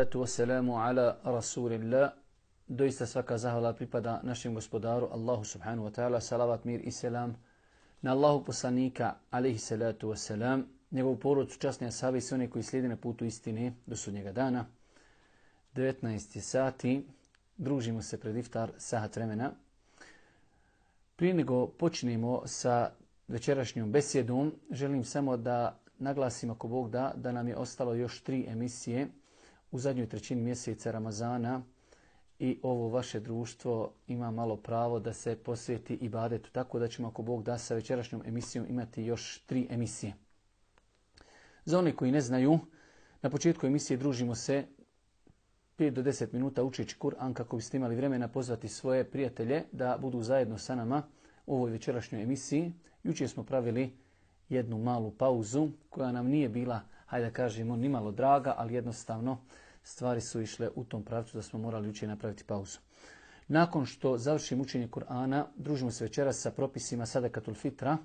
Wassalamu ala rasulillah. Doista svaka zahvala pripada našem gospodaru Allahu subhanahu wa ta'ala. Salavat, mir i selam na Allahu poslanika alaihi salatu wassalam, njegovu porodcu, časne ashabe i sve one koji slijede na putu istine do sudnjega dana. 19 sati, družimo se pred iftar sahat vremena. Prije nego počnemo sa večerašnjom besjedom, želim samo da naglasim, ako Bog da nam je ostalo još 3 emisije u zadnjoj trećini mjeseca Ramazana i ovo vaše društvo ima malo pravo da se posveti ibadetu. Tako da ćemo, ako Bog da, sa večerašnjom emisijom imati još 3 emisije. Za one koji ne znaju, na početku emisije družimo se 5 do 10 minuta učeći Kur'an kako biste imali vremena pozvati svoje prijatelje da budu zajedno sa nama u ovoj večerašnjoj emisiji. Jučer smo pravili jednu malu pauzu koja nam nije bila, hajde da kažemo, ni malo draga, ali jednostavno stvari su išle u tom pravcu da smo morali jučer napraviti pauzu. Nakon što završimo učenje Kur'ana, družimo se večeras sa propisima sadakatul fitra,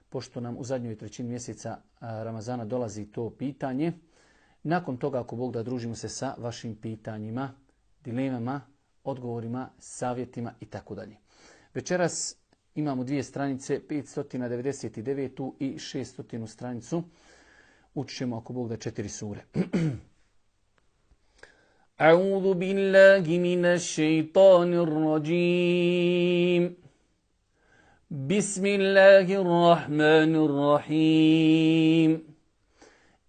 pošto nam u zadnjoj trećini mjeseca Ramazana dolazi to pitanje. Nakon toga, ako Bog da, družimo se sa vašim pitanjima, dilemama, odgovorima, savjetima i tako dalje. Večeras imamo 2 stranice, 599. i 600. stranicu. Učit ćemo, ako Bog da, 4 sure. A'udhu billahi minash shaitanir rajim. Bismillahirrahmanirrahim.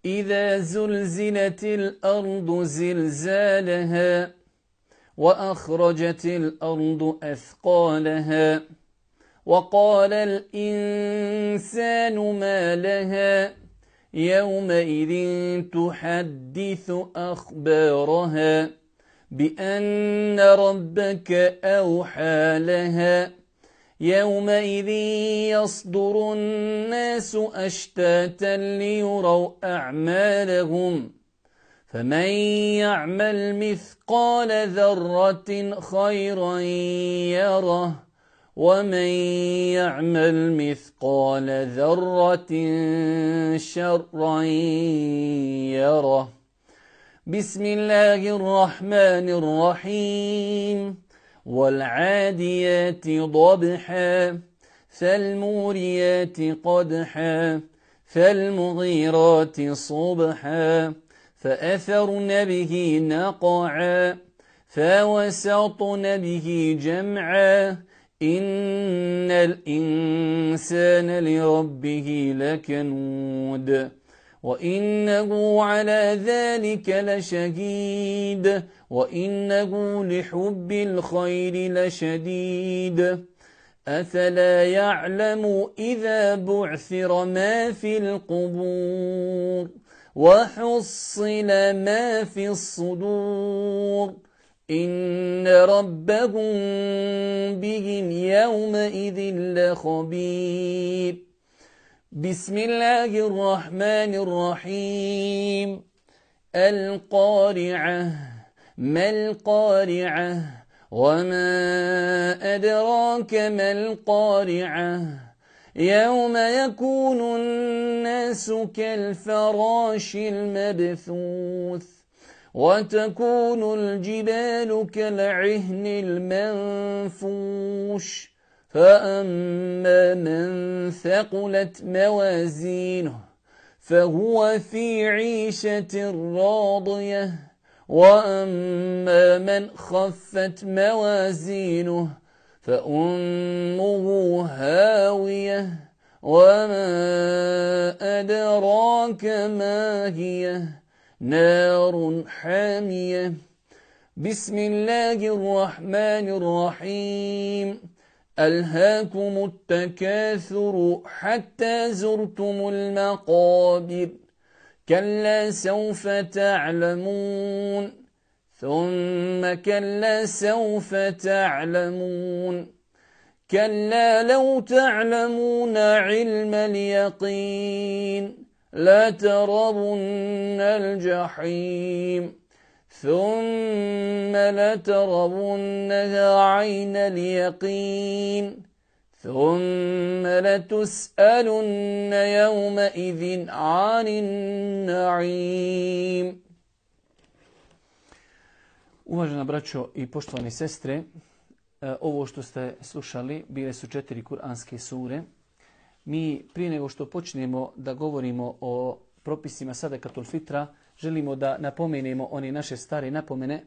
إذا زلزلت الأرض زلزالها وأخرجت الأرض أثقالها وقال الإنسان ما لها يومئذ تحدث أخبارها بأن ربك أوحى لها يومئذ يصدر الناس أشتاتا ليروا أعمالهم فمن يعمل مثقال ذرة خيرا يره ومن يعمل مثقال ذرة شرا يره بسم الله الرحمن الرحيم والعاديات ضبحا فالموريات قدحا فالمغيرات صبحا فأثرن به نقعا فوسطن به جمعا إن الإنسان لربه لكنود وإنه على ذلك لشهيد وإنه لحب الخير لشديد أفلا يعلم إذا بعثر ما في القبور وحصل ما في الصدور إن ربهم بهم يومئذ لخبير بسم الله الرحمن الرحيم القارعة ما القارعة وما أدراك ما القارعة يوم يكون الناس كالفراش المبثوث وتكون الجبال كالعهن المنفوش فأما من ثقلت موازينه فهو في عيشة راضية وأما من خفت موازينه فأمه هاوية وما أدراك ما هي نار حامية بسم الله الرحمن الرحيم ألهاكم التكاثر حتى زرتم المقابر كلا سوف تعلمون ثم كلا سوف تعلمون كلا لو تعلمون علم اليقين لترون الجحيم ثم لترونها عين اليقين ثم لتسألن يومئذ عن النعيم. Uvažena braćo i poštovane sestre, ovo što ste slušali bile su 4 kuranske sure. Mi prije nego što počnemo da govorimo o propisima sadakatul fitra, želimo da napomenemo one naše stare napomene.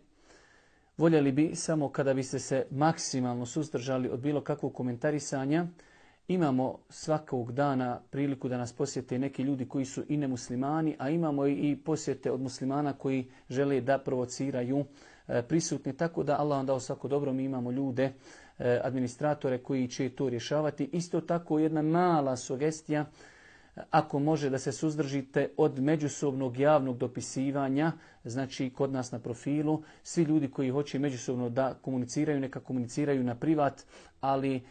Voljeli bi samo kada biste se maksimalno suzdržali od bilo kakvog komentarisanja. Imamo svakog dana priliku da nas posjete neki ljudi koji su i nemuslimani, a imamo i posjete od muslimana koji žele da provociraju prisutni. Tako da Allah vam dao svako dobro, mi imamo ljude, administratore koji će to rješavati. Isto tako jedna mala sugestija, ako može da se suzdržite od međusobnog javnog dopisivanja, znači kod nas na profilu, svi ljudi koji hoće međusobno da komuniciraju, neka komuniciraju na privat, ali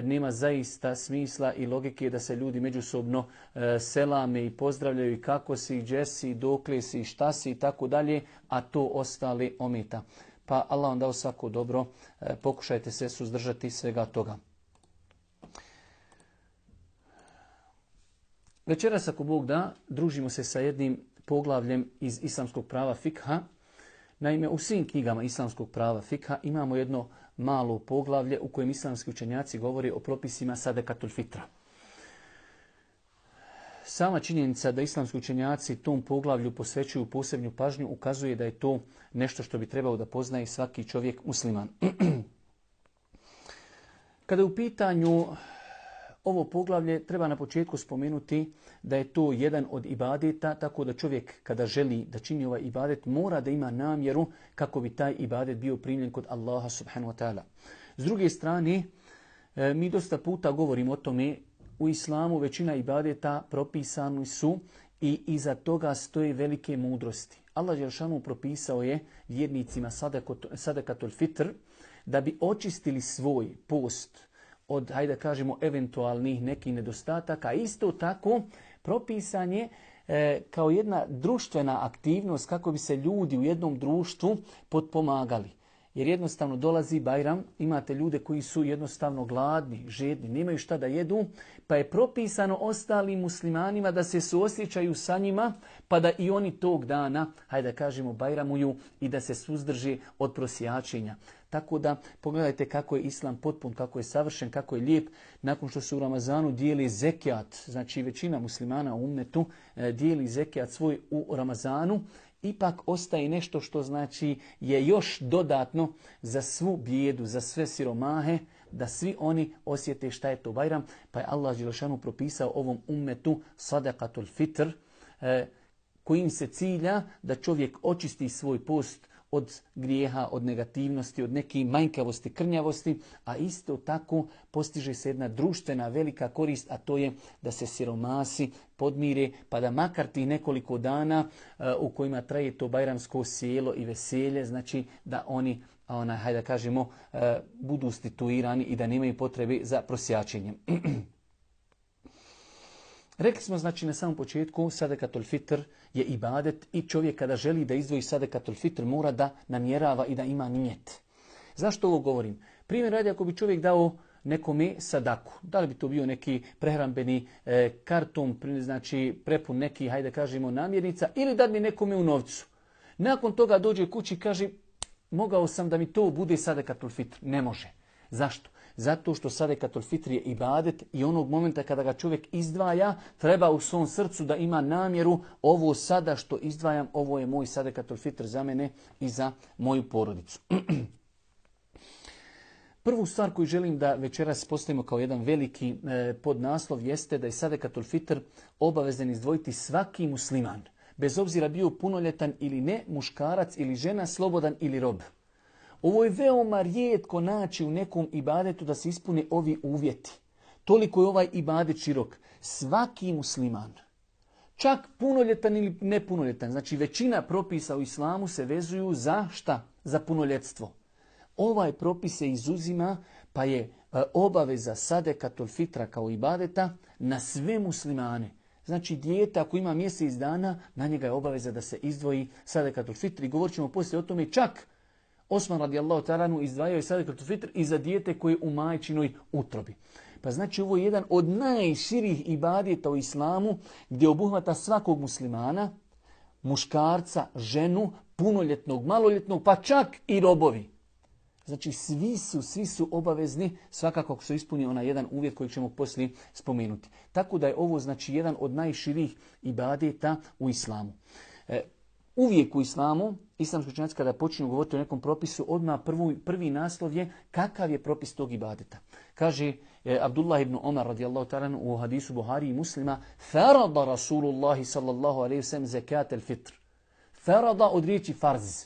nema zaista smisla i logike da se ljudi međusobno selame i pozdravljaju i kako si, gdje si, dokle si, šta si i tako dalje, a to ostali ometa. Pa Allah vam dao svako dobro, pokušajte se suzdržati svega toga. Večeras, ako Bog da, družimo se sa jednim poglavljem iz islamskog prava fikha. Naime, u svim knjigama islamskog prava fikha imamo jedno malo poglavlje u kojem islamski učenjaci govori o propisima sadakatul fitra. Sama činjenica da islamski učenjaci tom poglavlju posvećuju posebnu pažnju ukazuje da je to nešto što bi trebao da poznaje svaki čovjek musliman. Kada je u pitanju ovo poglavlje, treba na početku spomenuti da je to jedan od ibadeta, tako da čovjek kada želi da čini ovaj ibadet mora da ima namjeru kako bi taj ibadet bio primljen kod Allaha subhanahu wa ta'ala. S druge strane, mi dosta puta govorimo o tome, u islamu većina ibadeta propisani su i iza toga stoje velike mudrosti. Allah dželešanu propisao je vjernicima sadakatul fitr da bi očistili svoj post od, hajde da kažemo, eventualnih nekih nedostataka. Isto tako propisan je kao jedna društvena aktivnost kako bi se ljudi u jednom društvu potpomagali. Jer jednostavno dolazi Bajram, imate ljude koji su jednostavno gladni, žedni, nemaju šta da jedu, pa je propisano ostalim muslimanima da se suosjećaju sa njima, pa da i oni tog dana, hajde da kažemo, Bajramuju i da se suzdrži od prosjačenja. Tako da pogledajte kako je Islam potpun, kako je savršen, kako je lijep. Nakon što se u Ramazanu dijeli zekijat, znači većina muslimana u ummetu dijeli zekijat svoj u Ramazanu, ipak ostaje nešto što znači je još dodatno za svu bijedu, za sve siromahe, da svi oni osjete šta je to Bajram. Pa je Allah dželešanu propisao ovom ummetu sadakatul fitr, kojim se cilja da čovjek očisti svoj post od grijeha, od negativnosti, od neke manjkavosti, krnjavosti, a isto tako postiže se jedna društvena velika korist, a to je da se siromasi podmire, pa da makar tih nekoliko dana u kojima traje to bajramsko sjelo i veselje, znači da oni, hajde da kažemo, budu situirani i da nemaju potrebe za prosjačenjem. Rekli smo, znači, na samom početku, sadakatul fitr je ibadet i čovjek kada želi da izdvoji sadakatul fitr mora da namjerava i da ima nijet. Zašto ovo govorim? Primjer radi, ako bi čovjek dao nekome sadaku, da li bi to bio neki prehrambeni karton, znači prepun neki, hajde kažemo, namirnica, ili da bi nekome u novcu. Nakon toga dođe kući i kaže, mogao sam da mi to bude sadakatul fitr. Ne može. Zašto? Zato što sadakatul fitr je ibadet i onog momenta kada ga čovjek izdvaja, treba u svom srcu da ima namjeru, ovo sada što izdvajam, ovo je moj sadakatul fitr za mene i za moju porodicu. Prvu stvar koju želim da večeras postavimo kao jedan veliki podnaslov jeste da je sadakatul fitr obavezan izdvojiti svaki musliman, bez obzira bio punoljetan ili ne, muškarac ili žena, slobodan ili rob. Ovo je veoma rijetko naći u nekom ibadetu da se ispune ovi uvjeti. Toliko je ovaj ibadet širok. Svaki musliman, čak punoljetan ili nepunoljetan, znači većina propisa u islamu se vezuju za šta? Za punoljetstvo. Ovaj propis se izuzima, pa je obaveza sadakatul fitra kao ibadeta na sve muslimane. Znači dijete ako ima mjesec dana, na njega je obaveza da se izdvoji sadakatul fitr. I govorit ćemo poslije o tome, čak Osman radijallahu ta'ala izdvajao je sadakatul fitr i za dijete koje je u majčinoj utrobi. Pa znači ovo je jedan od najširih ibadeta u islamu gdje obuhvata svakog muslimana. muškarca, ženu, punoljetnog, maloljetnog, pa čak i robovi. Znači svi su obavezni, svakako ako su ispunili onaj jedan uvjet koji ćemo poslije spomenuti. Tako da je ovo znači jedan od najširih ibadeta u islamu. Uvijek u islamu, islamski učenjaci kada počinju govoriti o nekom propisu, odmah prvi naslov je kakav je propis tog ibadeta. Kaže Abdullah ibn Omar radijallahu ta'ala u hadisu Buhari i Muslima: "Farada Rasulullah sallallahu alejhi ve sellem zekat al-fitr." Farada od riječi farz.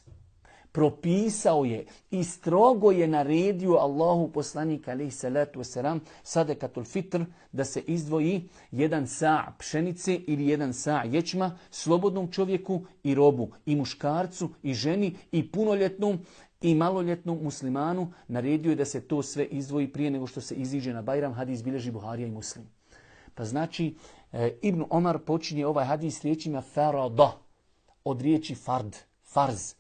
Propisao je i strogo je naredio Allahu poslanik alejhi salatu vesselam sadekatul fitr, da se izdvoji 1 sa' pšenice ili 1 sa' ječma slobodnom čovjeku i robu, i muškarcu i ženi i punoljetnom i maloljetnom muslimanu. Naredio je da se to sve izdvoji prije nego što se iziđe na Bajram. Hadis bilježi Buharija i Muslim. Pa znači Ibn Omar počinje ovaj hadis riječima farada od riječi fard, farz.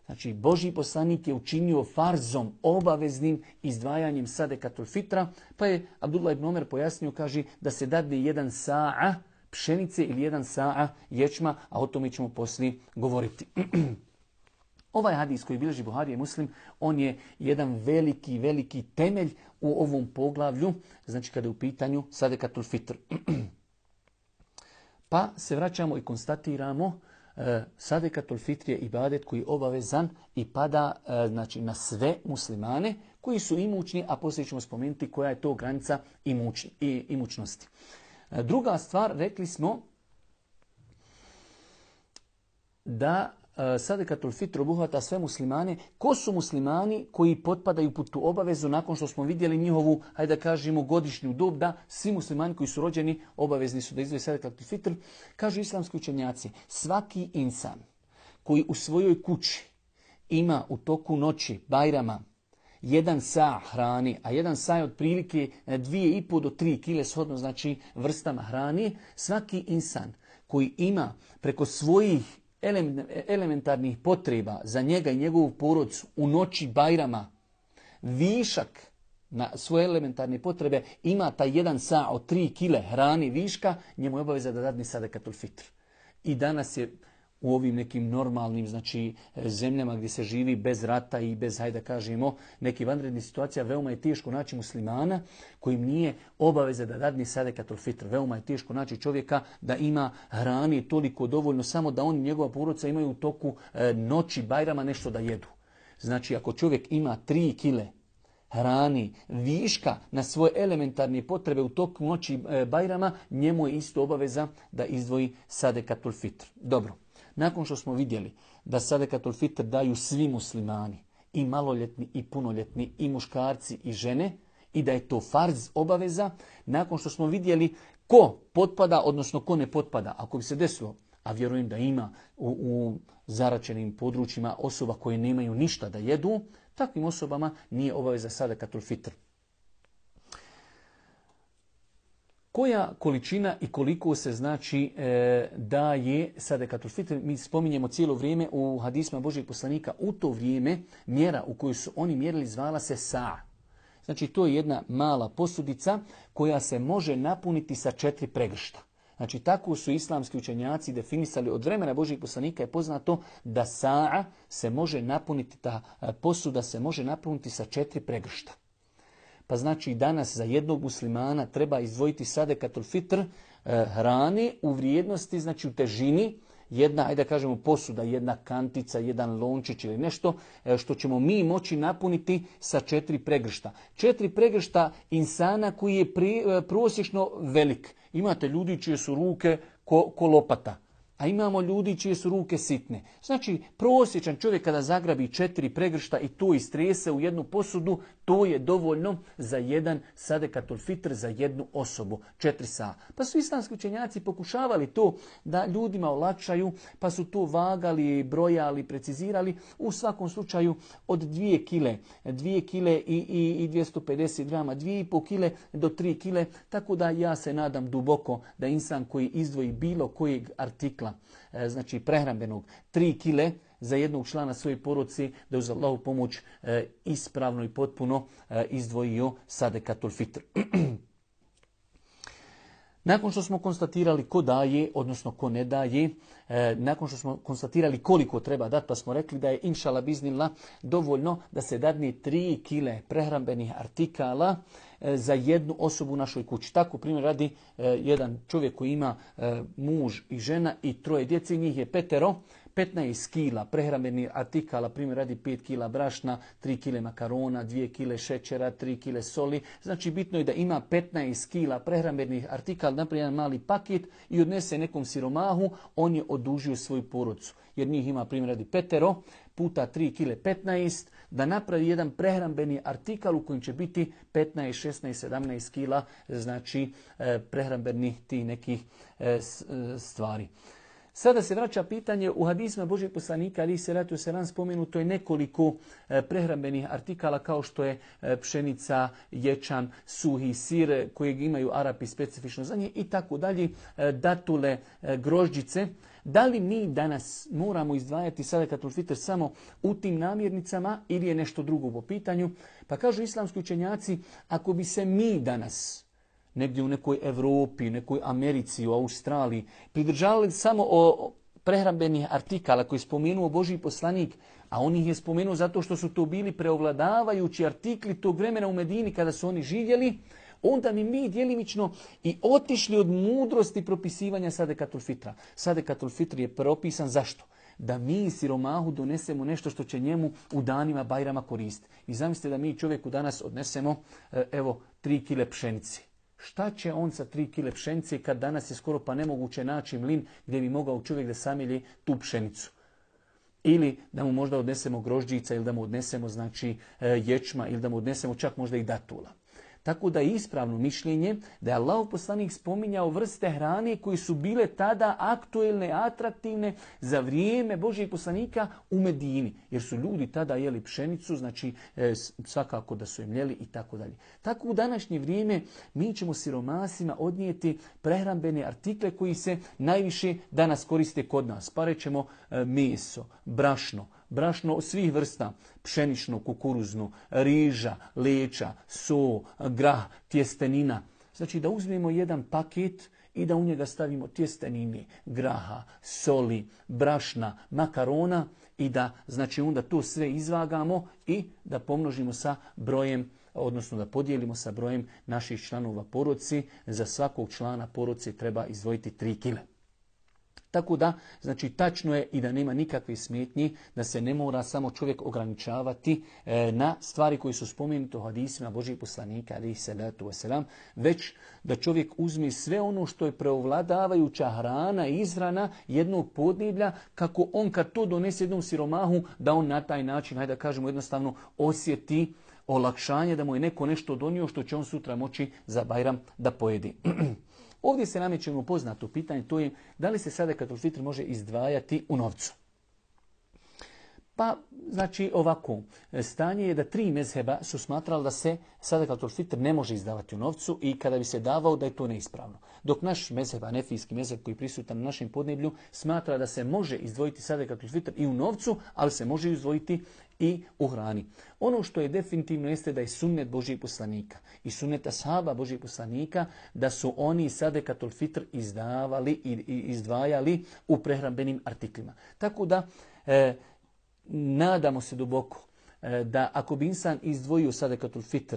Znači, Božji poslanik je učinio farzom, obaveznim izdvajanjem sadekatul fitra, pa je Abdullah ibn Omer pojasnio, kaže, da se dadne 1 sa' pšenice ili 1 sa' ječma, a o tome ćemo poslije govoriti. Ovaj hadis koji bilježi Buharija i Muslim, on je jedan veliki temelj u ovom poglavlju, znači kada je u pitanju sadekatul fitr. Pa se vraćamo i konstatiramo, sadekatul fitr je ibadet koji je obavezan i pada znači, na sve muslimane koji su imućni, a poslije ćemo spomenuti koja je to granica imućnosti. Druga stvar, rekli smo da sadekatul fitr obuhvata sve muslimane. Ko su muslimani koji potpadaju pod tu obavezu nakon što smo vidjeli njihovu, hajde da kažemo, godišnju dob, da svi muslimani koji su rođeni obavezni su da izdvoje sadekatul fitr? Kažu islamski učenjaci, svaki insan koji u svojoj kući ima u toku noći, Bajrama, 1 sa' hrani, a 1 sa' je otprilike 2,5 do 3 kile shodno znači vrstama hrani, svaki insan koji ima preko svojih elementarnih potreba za njega i njegovu porodicu u noći Bajrama višak na svoje elementarne potrebe, ima taj 1 sa' od 3 kile hrani viška, njemu je obaveza da dadne sadekatul fitr. I danas je u ovim nekim normalnim znači, zemljama gdje se živi bez rata i bez, hajde da kažemo, nekih vanrednih situacija, veoma je teško naći muslimana kojim nije obaveza da dadne sadekatul fitr. Veoma je teško naći čovjeka da ima hrani toliko dovoljno, samo da on i njegova porodica imaju u toku noći Bajrama nešto da jedu. Znači, ako čovjek ima 3 kile hrani viška na svoje elementarne potrebe u toku noći Bajrama, njemu je isto obaveza da izdvoji sadekatul fitr. Dobro. Nakon što smo vidjeli da sadekatul fitr daju svi muslimani, i maloljetni i punoljetni, i muškarci i žene, i da je to farz, obaveza, nakon što smo vidjeli ko potpada, odnosno ko ne potpada, ako bi se desilo, a vjerujem da ima u zaračenim područjima osoba koje nemaju ništa da jedu, takvim osobama nije obaveza sadekatul fitr. Koja količina i koliko se znači daje sadekatul fitr? Mi spominjemo cijelo vrijeme u hadisma Božjeg poslanika, u to vrijeme mjera u kojoj su oni mjerili zvala se sa'. Znači to je jedna mala posudica koja se može napuniti sa 4 pregršta. Znači tako su islamski učenjaci definisali, od vremena Božjeg poslanika je poznato da sa' se može napuniti, ta posuda se može napuniti sa 4 pregršta. Pa znači danas za jednog muslimana treba izdvojiti sadekatul fitr hrane u vrijednosti, znači u težini, jedna, ajde da kažemo posuda, jedna kantica, jedan lončić ili nešto što ćemo mi moći napuniti sa 4 pregršta. 4 pregršta insana koji je prosječno velik. Imate ljudi čije su ruke ko lopata, a imamo ljudi čije su ruke sitne. Znači, prosječan čovjek kada zagrabi 4 pregršta i to istrese u jednu posudu, to je dovoljno za jedan sadekatul fitr za jednu osobu, 4 sa'. Pa su islamski učenjaci pokušavali to da ljudima olakšaju, pa su to vagali, brojali, precizirali. U svakom slučaju od 2 kile i 250 grama, 2,5 kile do 3 kile, tako da ja se nadam duboko da insan koji izdvoji bilo kojeg artikla, znači prehrambenog, 3 kile za jednog člana svoje porodice, da uz Allahu pomoć ispravno i potpuno izdvojio sadekatul fitr. Nakon što smo konstatirali ko daje, odnosno ko ne daje, nakon što smo konstatirali koliko treba dati, pa smo rekli da je inšala biznila dovoljno da se dadne 3 kile prehrambenih artikala za jednu osobu u našoj kući. Tako primjer radi jedan čovjek koji ima muž i žena i 3 djece, njih je 5, 15 kila prehrambenih artikala, primjer radi 5 kila brašna, 3 kile makarona, 2 kile šećera, 3 kile soli. Znači bitno je da ima 15 kila prehrambenih artikala, naprijed jedan mali paket i odnese nekom siromahu, on je odužio svoju porodcu. Jer njih ima primjer radi 5 puta 3 kile 15, da napravi jedan prehrambeni artikal u kojem će biti 15, 16, 17 kila, znači prehrambenih tih nekih stvari. Sada se vraća pitanje, u hadisima Božijeg poslanika alejhi selatu vesselam spomenuto je nekoliko prehrambenih artikala kao što je pšenica, ječam, suhi sir kojeg imaju Arapi specifično za nje i tako dalje, datule, grožđice. Da li mi danas moramo izdvajati sadakatul fitr samo u tim namirnicama ili je nešto drugo po pitanju? Pa kažu islamski učenjaci, ako bi se mi danas negdje u nekoj Europi, nekoj Americi, u Australiji, pridržavali samo o prehrambenih artikala koji je spomenuo Božji poslanik, a on ih je spomenuo zato što su to bili preovladavajući artikli tog vremena u Medini kada su oni živjeli, onda bi mi djelimično i otišli od mudrosti propisivanja sadakatul fitra. Sadakatul fitr je propisan zašto? Da mi siromahu donesemo nešto što će njemu u danima Bajrama koristiti. I zamislite da mi čovjeku danas odnesemo 3 kile pšenice. Šta će on sa 3 kile pšenice kad danas je skoro pa nemoguće naći mlin gdje bi mogao čovjek da samilje tu pšenicu? Ili da mu možda odnesemo grožđica ili da mu odnesemo ječma ili da mu odnesemo čak možda i datula. Tako da je ispravno mišljenje da je Allahov poslanik spominjao vrste hrane koje su bile tada aktuelne, atraktivne za vrijeme Božijeg poslanika u Medini. Jer su ljudi tada jeli pšenicu, znači svakako da su im jeli i tako dalje. Tako u današnje vrijeme mi ćemo siromasima odnijeti prehrambene artikle koji se najviše danas koriste kod nas. Pa rećemo meso, brašno svih vrsta, pšenično, kukuruzno, riža, leča, so, grah, tjestenina. Znači da uzmemo jedan paket i da u njega stavimo tjestenine, graha, soli, brašna, makarona i da znači onda to sve izvagamo i da pomnožimo sa brojem, odnosno da podijelimo sa brojem naših članova porodice. Za svakog člana porodice treba izdvojiti 3 kile. Tako da, znači tačno je i da nema nikakve smetnji, da se ne mora samo čovjek ograničavati na stvari koji su spomenute u hadisima Božijeg poslanika alejhi selatu vesselam, već da čovjek uzme sve ono što je preovladavajuća hrana i izhrana jednog podneblja, kako on kad to donese jednom siromahu, da on na taj način, hajde da kažemo jednostavno, osjeti olakšanje, da mu je neko nešto donio što će on sutra moći za Bajram da pojedi. Ovdje se nameće poznato pitanje, to je da li se sadakatul fitr može izdvajati u novcu. Pa, znači ovako, stanje je da 3 mezheba su smatrali da se sadakatul fitr ne može izdavati u novcu i kada bi se davao da je to neispravno. Dok naš mezheb, hanefijski mezheb koji je prisutan na našem podneblju, smatra da se može izdvojiti sadakatul fitr i u novcu, ali se može izdvojiti i u hrani. Ono što je definitivno jeste da je sunnet Božijeg poslanika i sunnet ashaba Božijeg poslanika da su oni sadakatul fitr izdavali i izdvajali u prehrambenim artiklima. Tako da nadamo se duboko da ako bi insan izdvojio sadakatul fitr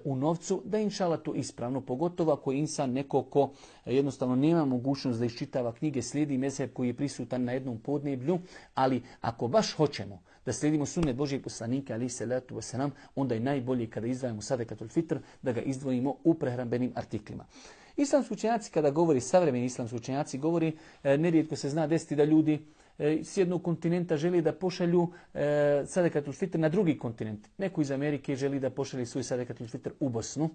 u novcu, da je inšala to ispravno, pogotovo ako je insan neko ko jednostavno nema mogućnost da iščitava knjige, slijedi mezheb koji je prisutan na jednom podneblju, ali ako baš hoćemo da slijedimo sunnet Božijeg poslanika alejhi selatu vesselam, onda je najbolje kada izdvajamo sadakatul fitr da ga izdvojimo u prehrambenim artiklima. Islamski učenjaci kada govori, savremeni islamski učenjaci govori, nerijetko se zna desiti da ljudi s jednog kontinenta želi da pošalju sadakatul fitr na drugi kontinent. Neko iz Amerike želi da pošalje svoj sadakatul fitr u Bosnu,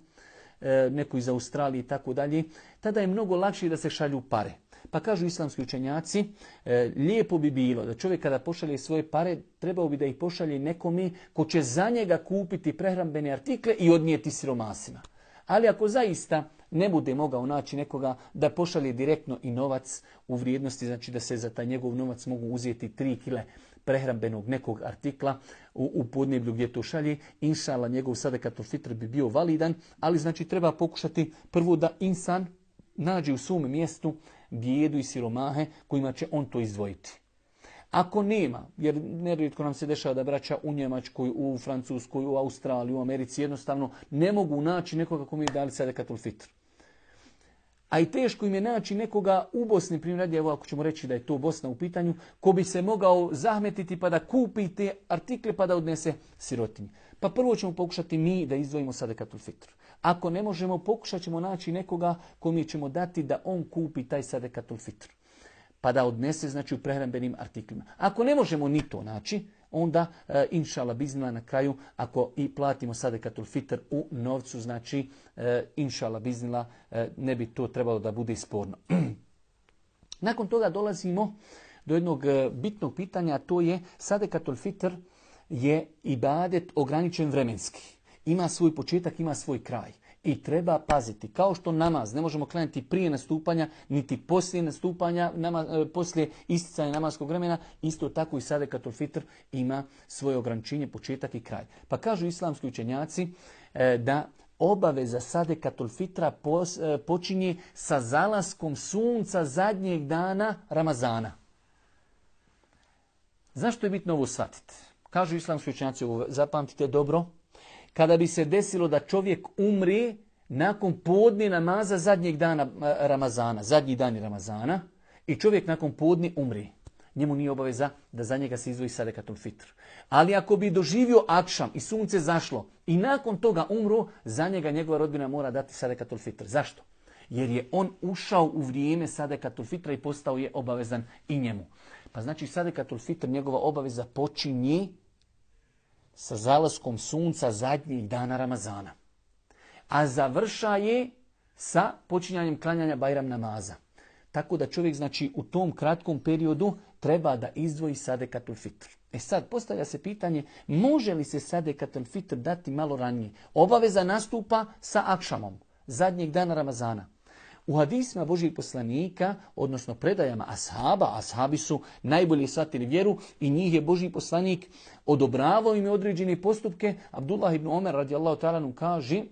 neko iz Australije i tako dalje. Tada je mnogo lakše da se šalju pare. Pa kažu islamski učenjaci, lijepo bi bilo da čovjek kada pošalje svoje pare, trebao bi da ih pošalje nekome ko će za njega kupiti prehrambene artikle i odnijeti siromasima. Ali ako zaista ne bude mogao naći nekoga da pošalje direktno i novac u vrijednosti, znači da se za taj njegov novac mogu uzeti 3 kile prehrambenog nekog artikla u podneblju gdje to šalje, inšala njegov sadakatul fitr bi bio validan, ali znači treba pokušati prvo da insan nađe u svom mjestu bijedu i siromahe kojima će on to izdvojiti. Ako nema, jer nerijetko nam se dešava da braća u Njemačkoj, u Francuskoj, u Australiji, u Americi jednostavno ne mogu naći nekoga kome je dali sadekatul fitr. A i teško im je naći nekoga u Bosni, primjer, evo ako ćemo reći da je to Bosna u pitanju, ko bi se mogao zahmetiti pa da kupi te artikle pa da odnese sirotinji. Pa prvo ćemo pokušati mi da izdvojimo sadekatul fitr. Ako ne možemo, pokušat ćemo naći nekoga kome ćemo dati da on kupi taj sadekatul fitr. Pa da odnese, znači, u prehrambenim artiklima. Ako ne možemo ni to naći, onda, inšala biznila na kraju, ako i platimo sadekatul fitr u novcu, znači, inšala biznila, ne bi to trebalo da bude sporno. Nakon toga dolazimo do jednog bitnog pitanja, a to je sadekatul fitr je ibadet ograničen vremenski. Ima svoj početak, ima svoj kraj. I treba paziti, kao što namaz ne možemo klanjati prije nastupanja, niti poslije nastupanja, poslije isticanja namaskog vremena, isto tako i sadekatul fitr ima svoje ograničenje, početak i kraj. Pa kažu islamski učenjaci da obaveza sadekatul fitra počinje sa zalaskom sunca zadnjeg dana Ramazana. Zašto je bitno ovo shvatiti? Kažu islamski učenjaci, zapamtite dobro, kada bi se desilo da čovjek umri nakon podne namaza zadnjeg dana Ramazana, zadnji dan Ramazana, i čovjek nakon podne umri, njemu nije obaveza da za njega se izdvoji sadekatul fitr. Ali ako bi doživio akšam i sunce zašlo i nakon toga umro, za njega njegova rodbina mora dati sadekatul fitr. Zašto? Jer je on ušao u vrijeme sadekatul fitra i postao je obavezan i njemu. Pa znači sadekatul fitr, njegova obaveza počinje sa zalaskom sunca zadnjeg dana Ramazana. A završaje sa počinjanjem klanjanja Bajram namaza. Tako da čovjek, znači, u tom kratkom periodu treba da izdvoji sadekatul fitr. Sad, postavlja se pitanje, može li se sadekatul fitr dati malo ranije? Obaveza nastupa sa akšamom, zadnjeg dana Ramazana. U hadisima Božijeg poslanika, odnosno predajama ashaba, ashabi su najbolje shvatili vjeru i njih je Božji poslanik odobravao im određene postupke. Abdullah ibn Omer radijallahu ta'ala kaže,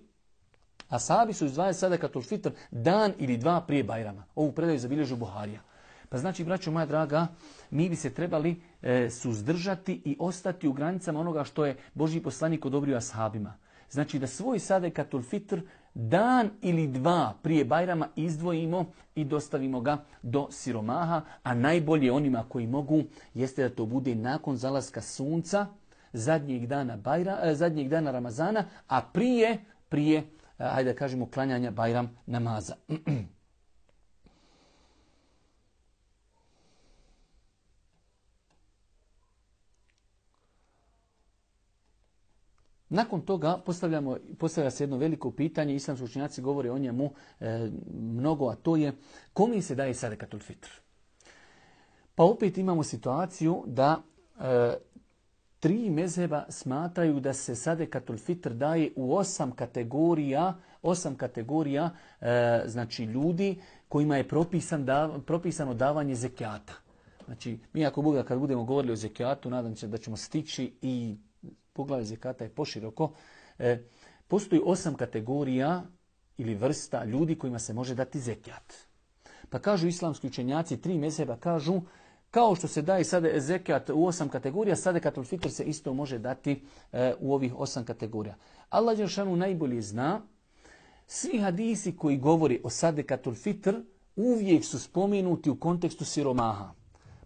ashabi su izdvajali sadekatul fitr dan ili dva prije Bajrama. Ovu predaju zabilježu Buharija. Pa znači, braćo moja draga, mi bi se trebali suzdržati i ostati u granicama onoga što je Božji poslanik odobrio ashabima. Znači da svoj sadekatul fitr dan ili dva prije Bajrama izdvojimo i dostavimo ga do siromaha, a najbolje onima koji mogu jeste da to bude nakon zalaska sunca zadnjeg dana Ramazana, a prije hajde da kažemo, klanjanja Bajram namaza. Nakon toga postavlja se jedno veliko pitanje, islamski učenjaci govore o njemu mnogo, a to je kome se daje sadekatul fitr? Pa opet imamo situaciju da 3 mezheba smatraju da se sadekatul fitr daje u 8 kategorija znači ljudi kojima je propisano davanje zekijata. Znači, mi ako Boga kad budemo govorili o zekijatu, nadam se da ćemo stići i poglavlje zekijata je poširoko. Postoji 8 kategorija ili vrsta ljudi kojima se može dati zekijat. Pa kažu islamski učenjaci, 3 mezheba kažu, kao što se daje sada zekijat u 8 kategorija, sadekatul fitr se isto može dati u ovih 8 kategorija. Allah dželešanu najbolje zna, svi hadisi koji govori o sadekatul fitr uvijek su spomenuti u kontekstu siromaha.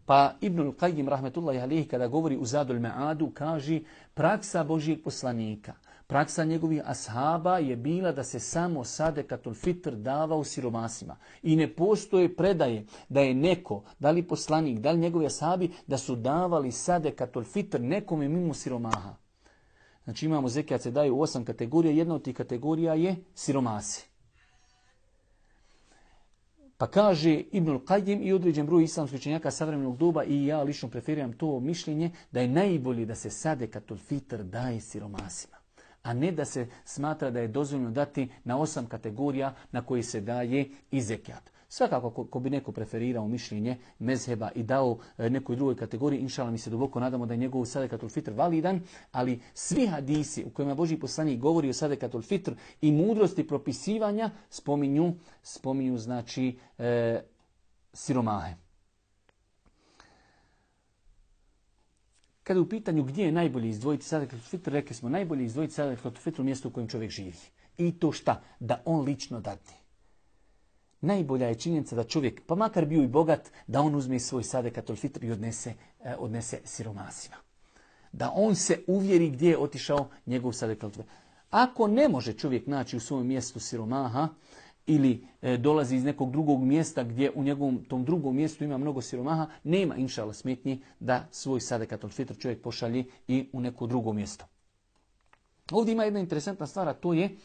Pa Ibnul Qayyim rahmetullahi alejhi kada govori u Zadul Ma'adu kaže praksa Božijeg poslanika, praksa njegovih ashaba je bila da se samo sadekatul fitr davao siromasima. I ne postoje predaje da je neko, da li poslanik, da li njegovi ashabi, da su davali sadekatul fitr nekome mimo siromaha. Znači imamo zekijat se daje u 8 kategorija, jedna od tih kategorija je siromasi. Pa kaže Ibnul Qayyim i određen broj islamskih učenjaka savremenog doba i ja lično preferiram to mišljenje da je najbolje da se sadekatul fitr daje siromasima, a ne da se smatra da je dozvoljeno dati na 8 kategorija na koji se daje i zekijat. Svakako, ko bi neko preferirao mišljenje mezheba i dao nekoj drugoj kategoriji, inšala mi se duboko nadamo da je njegov sadekatul fitr validan, ali svi hadisi u kojima Božji poslanik govori o sadekatul fitr i mudrosti propisivanja spominju znači siromahe. Kada je u pitanju gdje je najbolje izdvojiti sadekatul fitr, rekli smo najbolje izdvojiti sadekatul fitr u mjestu u kojem čovjek živi. I to šta? Da on lično dadne. Najbolja je činjenica da čovjek, pa makar bio i bogat, da on uzme svoj sadekatul fitr i odnese siromasima. Da on se uvjeri gdje je otišao njegov sadekatul fitr. Ako ne može čovjek naći u svom mjestu siromaha ili dolazi iz nekog drugog mjesta gdje u njegovom tom drugom mjestu ima mnogo siromaha, nema inšala smetnji da svoj sadekatul fitr čovjek pošalje i u neko drugo mjesto. Ovdje ima jedna interesantna stvar, a to je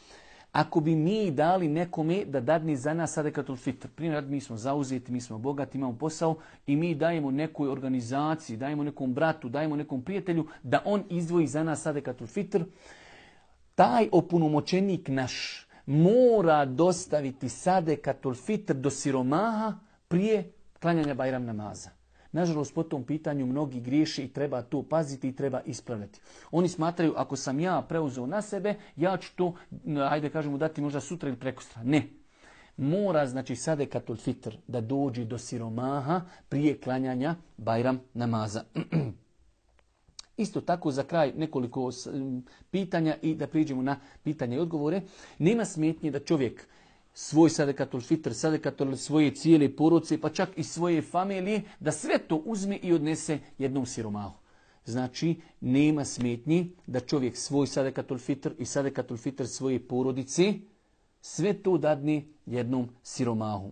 ako bi mi dali nekome da dadne za nas sadekatul fitr, primjer, mi smo zauzeti, mi smo bogati, imamo posao i mi dajemo nekoj organizaciji, dajemo nekom bratu, dajemo nekom prijatelju da on izdvoji za nas sadekatul fitr, taj opunomoćenik naš mora dostaviti sadekatul fitr do siromaha prije klanjanja Bajram namaza. Nažalost, po tom pitanju mnogi griješi i treba to paziti i treba ispravljati. Oni smatraju, ako sam ja preuzeo na sebe, ja ću to, ajde kažemo, dati možda sutra ili prekosutra. Ne. Mora, znači, sadekatul fitr da dođe do siromaha prije klanjanja Bajram namaza. Isto tako za kraj nekoliko pitanja i da priđemo na pitanje i odgovore. Nema smetnje da čovjek svoj sadekatul fitr, sadekatul svoje cijele porodice, pa čak i svoje familije, da sve to uzme i odnese jednom siromahu. Znači, nema smetnji da čovjek svoj sadekatul fitr i sadekatul fitr svoje porodice, sve to dadne jednom siromahu.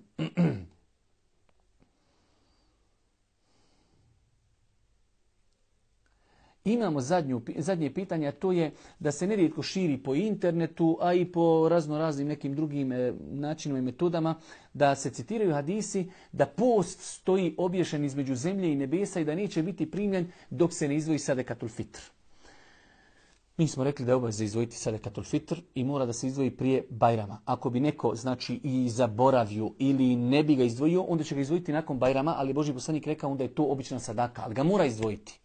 Imamo zadnje pitanje, a to je da se nerijetko širi po internetu, a i po raznoraznim nekim drugim načinima i metodama, da se citiraju hadisi da post stoji obješen između zemlje i nebesa i da neće biti primljen dok se ne izdvoji sadekatul fitr. Mi smo rekli da je obaveza izdvojiti sadekatul fitr i mora da se izdvoji prije Bajrama. Ako bi neko, znači, i zaboravio ili ne bi ga izdvojio, onda će ga izdvojiti nakon Bajrama, ali Božji poslanik rekao onda je to obična sadaka, ali ga mora izdvojiti.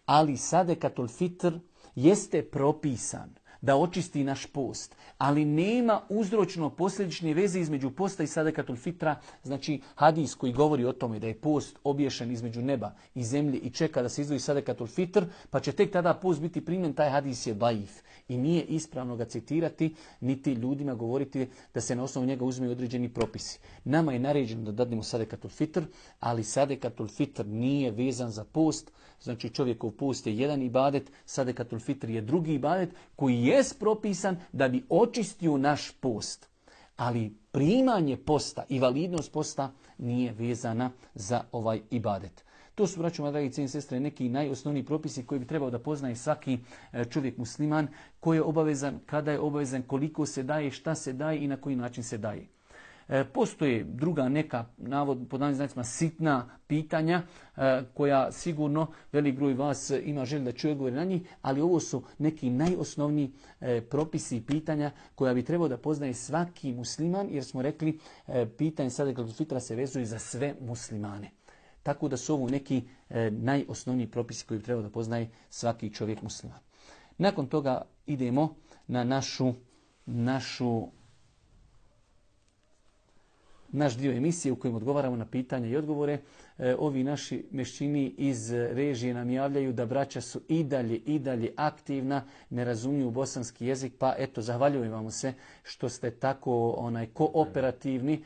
Ali sadekatul fitr jeste propisan da očisti naš post, ali nema uzročno posljedične veze između posta i sadekatul fitra. Znači, hadis koji govori o tome da je post obješen između neba i zemlje i čeka da se izdvoji sadekatul fitr, pa će tek tada post biti primljen, taj hadis je daif. I nije ispravno ga citirati, niti ljudima govoriti da se na osnovu njega uzmeju određeni propisi. Nama je naređeno da dadnemo sadekatul fitr, ali sadekatul fitr nije vezan za post. Znači, čovjekov post je jedan ibadet, sadekatul fitr je drugi ibadet koji je propisan da bi očistio naš post. Ali primanje posta i validnost posta nije vezana za ovaj ibadet. To su, braćo moji dragi cijene sestre, neki najosnovniji propisi koji bi trebao da poznaje svaki čovjek musliman, koji je obavezan, kada je obavezan, koliko se daje, šta se daje i na koji način se daje. Postoje druga neka, pod navodnim znacima, sitna pitanja koja sigurno velik broj vas ima želju da čuje odgovore na njih, ali ovo su neki najosnovniji propisi i pitanja koja bi trebao da poznaje svaki musliman, jer smo rekli pitanje sadekatul fitra se vezuje za sve muslimane. Tako da su ovo neki najosnovniji propisi koji bi trebao da poznaje svaki čovjek musliman. Nakon toga idemo na naš dio emisije u kojem odgovaramo na pitanja i odgovore. Ovi naši mešćini iz režije nam javljaju da braća su i dalje aktivna, ne razumiju bosanski jezik, pa eto, zahvaljujem vam se što ste tako kooperativni.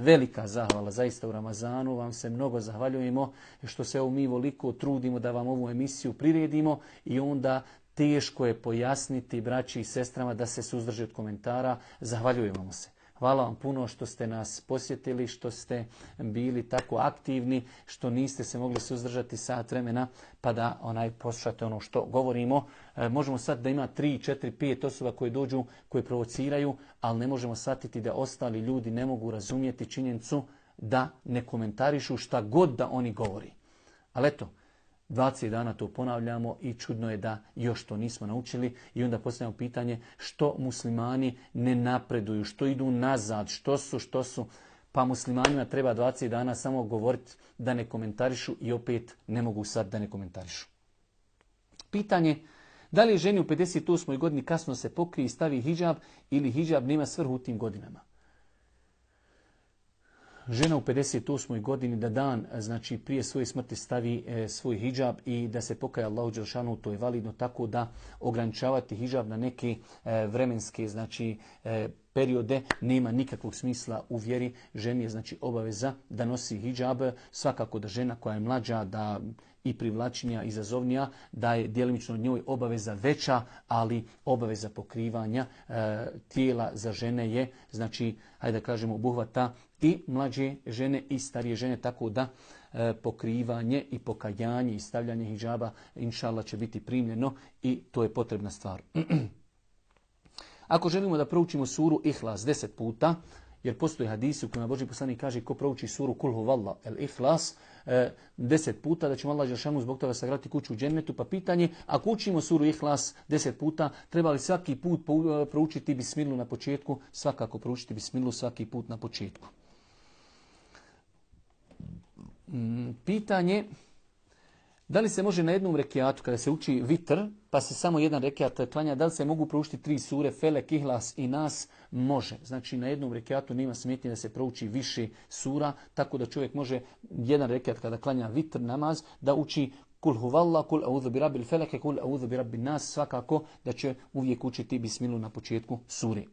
Velika zahvala, zaista u Ramazanu vam se mnogo zahvaljujemo što se mi voliko trudimo da vam ovu emisiju priredimo i onda teško je pojasniti braći i sestrama da se suzdrže od komentara. Zahvaljujem vam se. Hvala vam puno što ste nas posjetili, što ste bili tako aktivni, što niste se mogli suzdržati sat vremena pa da poslušate ono što govorimo. Možemo sad da ima 3, 4, 5 osoba koje dođu, koje provociraju, ali ne možemo shvatiti da ostali ljudi ne mogu razumjeti činjenicu da ne komentarišu šta god da oni govori. Ali eto, 20 dana to ponavljamo i čudno je da još to nismo naučili i onda postavljamo pitanje što muslimani ne napreduju, što idu nazad, što su. pa muslimanima treba 20 dana samo govoriti da ne komentarišu i opet ne mogu sad da ne komentarišu. Pitanje, da li je ženi u 58. godini kasno se pokrije i stavi hidžab ili hidžab nema svrhu u tim godinama? Žena u 58. godini da dan, znači prije svoje smrti stavi svoj hidžab i da se pokaje Allahu dželešanu, to je validno, tako da ograničavati hidžab na neke vremenske, znači periode nema nikakvog smisla u vjeri. Ženi je znači obaveza da nosi hidžab, svakako da žena koja je mlađa, da i privlačnija, izazovnija, da je djelimično njoj obaveza veća, ali obaveza pokrivanja tijela za žene je, znači, hajde da kažemo, obuhvata i mlađe žene i starije žene, tako da pokrivanje i pokajanje i stavljanje hidžaba, inšallah, će biti primljeno i to je potrebna stvar. Ako želimo da proučimo suru Ihlas 10 puta, jer postoji hadisi u kojima Božji poslanik kaže ko prouči suru Kul huvallah el Ihlas 10 puta, da ćemo Allah dželešanu zbog toga sagraditi kuću u džennetu. Pa pitanje, ako učimo suru Ihlas 10 puta, treba li svaki put proučiti bismilu na početku? Svakako proučiti bismilu svaki put na početku. Pitanje, da li se može na jednom rekiatu, kada se uči vitr, pa se samo jedan rekiat klanja, da li se mogu proučiti 3 sure, Felek, Ihlas i Nas? Može. Znači na jednom rekiatu nema smetnje da se prouči više sura, tako da čovjek može jedan rekiat kada klanja vitr namaz, da uči Kul huvallah, kul a'udhu bi rabbil feleke, kul a'udhu bi rabbin nas, svakako da će uvijek učiti bismilu na početku suri.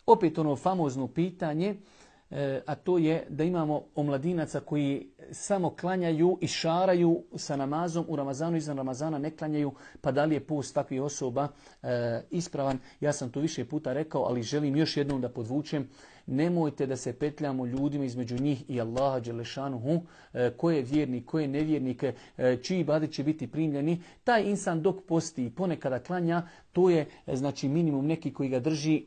Opet ono famozno pitanje, a to je da imamo omladinaca koji samo klanjaju i šaraju sa namazom u Ramazanu, izvan Ramazana ne klanjaju, pa da li je post takvih osoba ispravan? Ja sam to više puta rekao, ali želim još jednom da podvučem. Nemojte da se petljamo ljudima između njih i Allaha dželešanuhu, ko je vjernik, ko je nevjernik, čiji ibadet će biti primljeni. Taj insan dok posti i ponekada klanja, to je znači minimum neki koji ga drži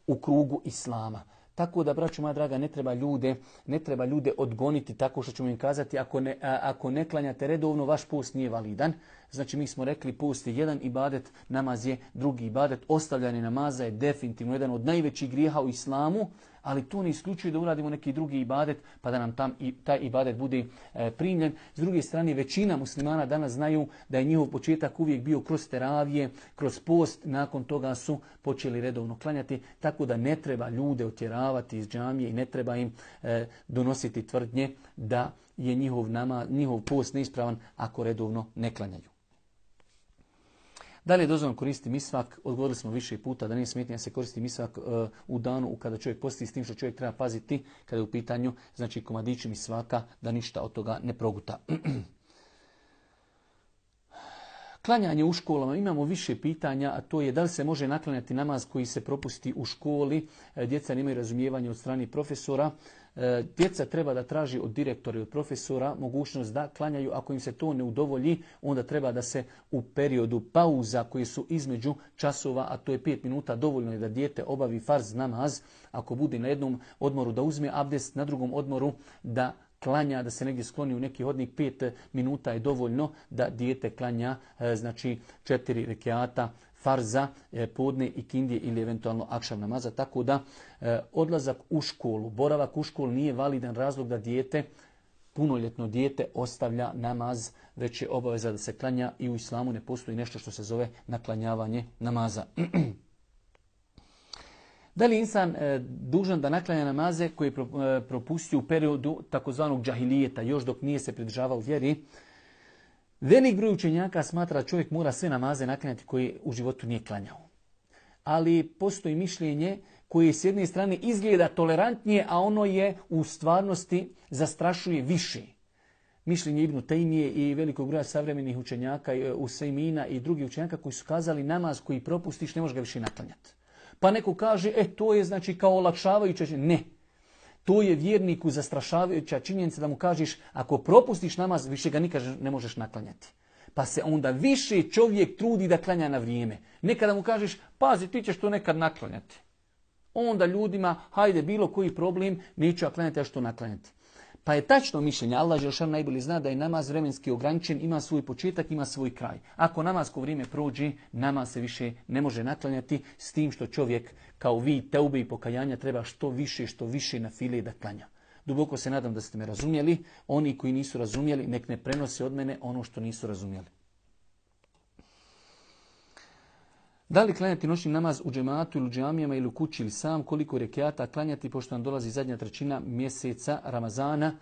u krugu islama. Tako da, braćo moja draga, ne treba ljude odgoniti tako što ćemo im kazati ako ne klanjate redovno, vaš post nije validan. Znači mi smo rekli post je jedan ibadet, namaz je drugi ibadet. Ostavljanje namaza je definitivno jedan od najvećih grijeha u islamu, ali to ne isključuje da uradimo neki drugi ibadet pa da nam taj ibadet bude primljen. S druge strane, većina muslimana danas znaju da je njihov početak uvijek bio kroz teravije, kroz post, nakon toga su počeli redovno klanjati, tako da ne treba ljude otjeravati iz džamije i ne treba im donositi tvrdnje da je njihov post neispravan ako redovno ne klanjaju. Da li je dozvoljeno koristiti misvak? Odgovorili smo više puta da nije smetnje da se koristi misvak u danu kada čovjek posti, s tim što čovjek treba paziti kada je u pitanju znači komadići misvaka da ništa od toga ne proguta. Klanjanje u školama, imamo više pitanja, a to je da li se može naklanjati namaz koji se propusti u školi, djeca nemaju razumijevanja od strane profesora. Djeca treba da traži od direktora i od profesora mogućnost da klanjaju. Ako im se to ne udovolji, onda treba da se u periodu pauza koji su između časova, a to je 5 minuta, dovoljno je da dijete obavi farz namaz. Ako bude na jednom odmoru da uzme abdest, na drugom odmoru da klanja, da se negdje skloni u neki hodnik, 5 minuta je dovoljno da dijete klanja, znači 4 rekiata farza, podne i kindije ili eventualno akšam namaza. Tako da odlazak u školu, boravak u školu nije validan razlog da dijete, punoljetno dijete, ostavlja namaz, već je obaveza da se klanja i u islamu ne postoji nešto što se zove naklanjavanje namaza. Da li je insan dužan da naklanja namaze koje je propustio u periodu takozvanog džahilijeta, još dok nije se pridržavao vjeri? Velik broj učenjaka smatra da čovjek mora sve namaze naklanjati koje u životu nije klanjao. Ali postoji mišljenje koje s jedne strane izgleda tolerantnije, a ono je u stvarnosti zastrašuje više. Mišljenje Ibnu Tejmije i velikog broja savremenih učenjaka, Usejmina i drugih učenjaka koji su kazali namaz koji propustiš ne možeš ga više naklanjati. Pa neko kaže, to je znači kao olakšavajuća činjenica. Ne. To je vjerniku zastrašavajuća činjenica da mu kažeš, ako propustiš namaz, više ga nikad ne možeš naklanjati. Pa se onda više čovjek trudi da klanja na vrijeme. Nekada mu kažeš, pazi, ti ćeš to nekad naklanjati. Onda ljudima, hajde, bilo koji problem, neću ja klanjati, a što naklanjati. Pa je tačno mišljenje, Allah dželešanu najbolje zna da je namaz vremenski ograničen, ima svoj početak, ima svoj kraj. Ako namasko vrijeme prođe, namaz se više ne može naklanjati, s tim što čovjek kao vid teube i pokajanja treba što više na file da klanja. Duboko se nadam da ste me razumjeli. Oni koji nisu razumjeli, nek ne prenose od mene ono što nisu razumjeli. Da li klanjati noćni namaz u džematu ili u džamijama ili u kući ili sam, koliko rekiata klanjati pošto nam dolazi zadnja trećina mjeseca Ramazana?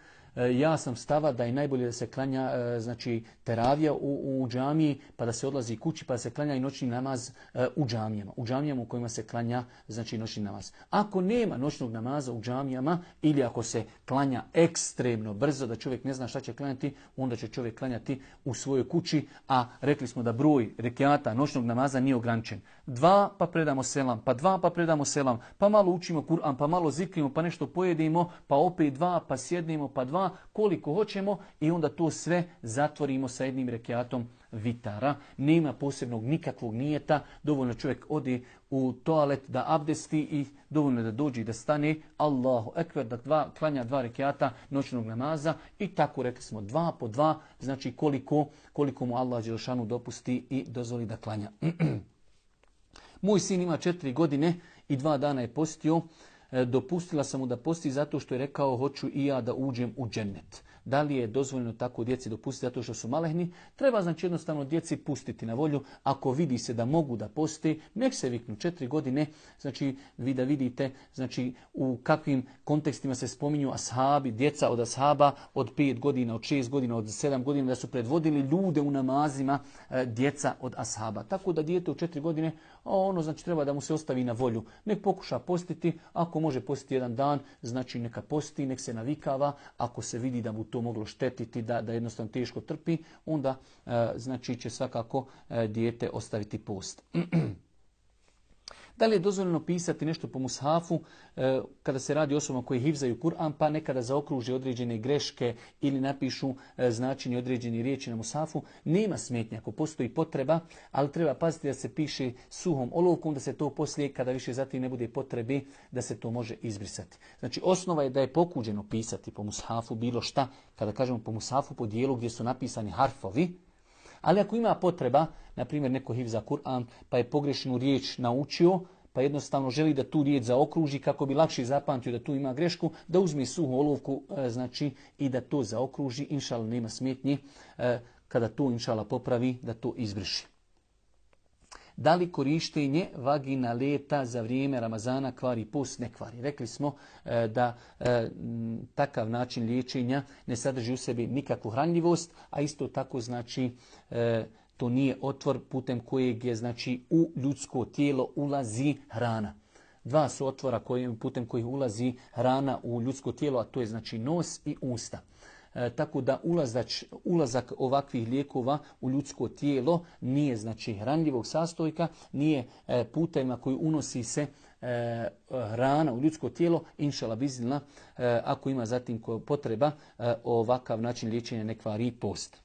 Ja sam stava da je najbolje da se klanja znači teravija u džamiji, pa da se odlazi kući, pa da se klanja i noćni namaz u džamijama. U džamijama u kojima se klanja znači noćni namaz. Ako nema noćnog namaza u džamijama ili ako se klanja ekstremno brzo da čovjek ne zna šta će klanjati, onda će čovjek klanjati u svojoj kući, a rekli smo da broj rekiata noćnog namaza nije ograničen. 2 pa predamo selam, pa 2 pa predamo selam, pa malo učimo Kur'an, pa malo zikrimo, pa nešto pojedimo, pa opet 2, pa sjednemo, pa 2, koliko hoćemo i onda to sve zatvorimo sa jednim rekiatom vitara. Nema posebnog nikakvog nijeta, dovoljno čovjek ode u toalet da abdesti i dovoljno da dođe i da stane, Allahu ekber, da klanja 2 rekiata noćnog namaza i tako rekli smo 2 po 2, znači koliko mu Allah dželešanu dopusti i dozvoli da klanja. Moj sin ima 4 godine i 2 dana je postio. Dopustila sam mu da posti zato što je rekao hoću i ja da uđem u džennet. Da li je dozvoljeno tako djeci dopustiti zato što su malehni? Treba znači jednostavno djeci pustiti na volju. Ako vidi se da mogu da posti, nek se viknu 4 godine. Znači vi da vidite znači u kakvim kontekstima se spominju ashabi, djeca od ashaba od 5 godina, od 6 godina, od 7 godina da su predvodili ljude u namazima, djeca od ashaba. Tako da dijete u 4 godine, ono znači treba da mu se ostavi na volju. Nek pokuša postiti, ako može postiti jedan dan, znači neka posti, nek se navikava. Ako se vidi da mu to moglo štetiti, da jednostavno teško trpi, onda znači će svakako dijete ostaviti post. Da li je dozvoljeno pisati nešto po mushafu kada se radi o osobama koji hifzaju Kur'an, pa nekada zaokruže određene greške ili napišu značenje određene riječi na mushafu? Nema smetnje ako postoji potreba, ali treba paziti da se piše suhom olovkom, da se to poslije, kada više zatim ne bude potrebe, da se to može izbrisati. Znači osnova je da je pokuđeno pisati po mushafu bilo šta, kada kažemo po mushafu, po dijelu gdje su napisani harfovi. Ali ako ima potreba, na primjer neko hifza Kur'an pa je pogrešnu riječ naučio, pa jednostavno želi da tu riječ zaokruži kako bi lakše zapamtio da tu ima grešku, da uzme suhu olovku znači i da to zaokruži, inšallah nema smetnji, kada to inšallah popravi da to izbriši. Da li korištenje vaginaleta za vrijeme Ramazana kvari post? Ne kvari. Rekli smo da takav način liječenja ne sadrži u sebi nikakvu hranljivost, a isto tako znači to nije otvor putem kojeg je znači u ljudsko tijelo ulazi hrana. 2 su otvora putem kojih ulazi hrana u ljudsko tijelo, a to je znači nos i usta. Tako da ulazak ovakvih lijekova u ljudsko tijelo nije znači hranljivog sastojka, nije putajima koji unosi se hrana u ljudsko tijelo, inšallah biznillah, ako ima zatim potreba, ovakav način liječenja ne kvari post.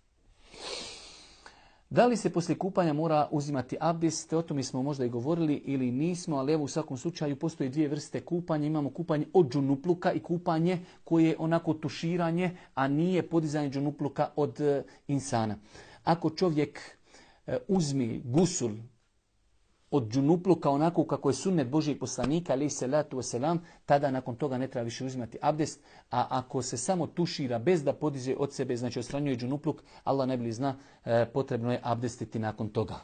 Da li se poslije kupanja mora uzimati abdest? O tome smo možda i govorili ili nismo, ali evo u svakom slučaju postoji 2 vrste kupanja. Imamo kupanje od džunupluka i kupanje koje je onako tuširanje, a nije podizanje džunupluka od insana. Ako čovjek uzme gusul od džunupluka onako kako je sunnet Božijeg poslanika, alejhi salatu vesselam, tada nakon toga ne treba više uzimati abdest, a ako se samo tušira bez da podiže od sebe, znači odstranjuje džunupluk, Allah najbolje zna, potrebno je abdestiti nakon toga.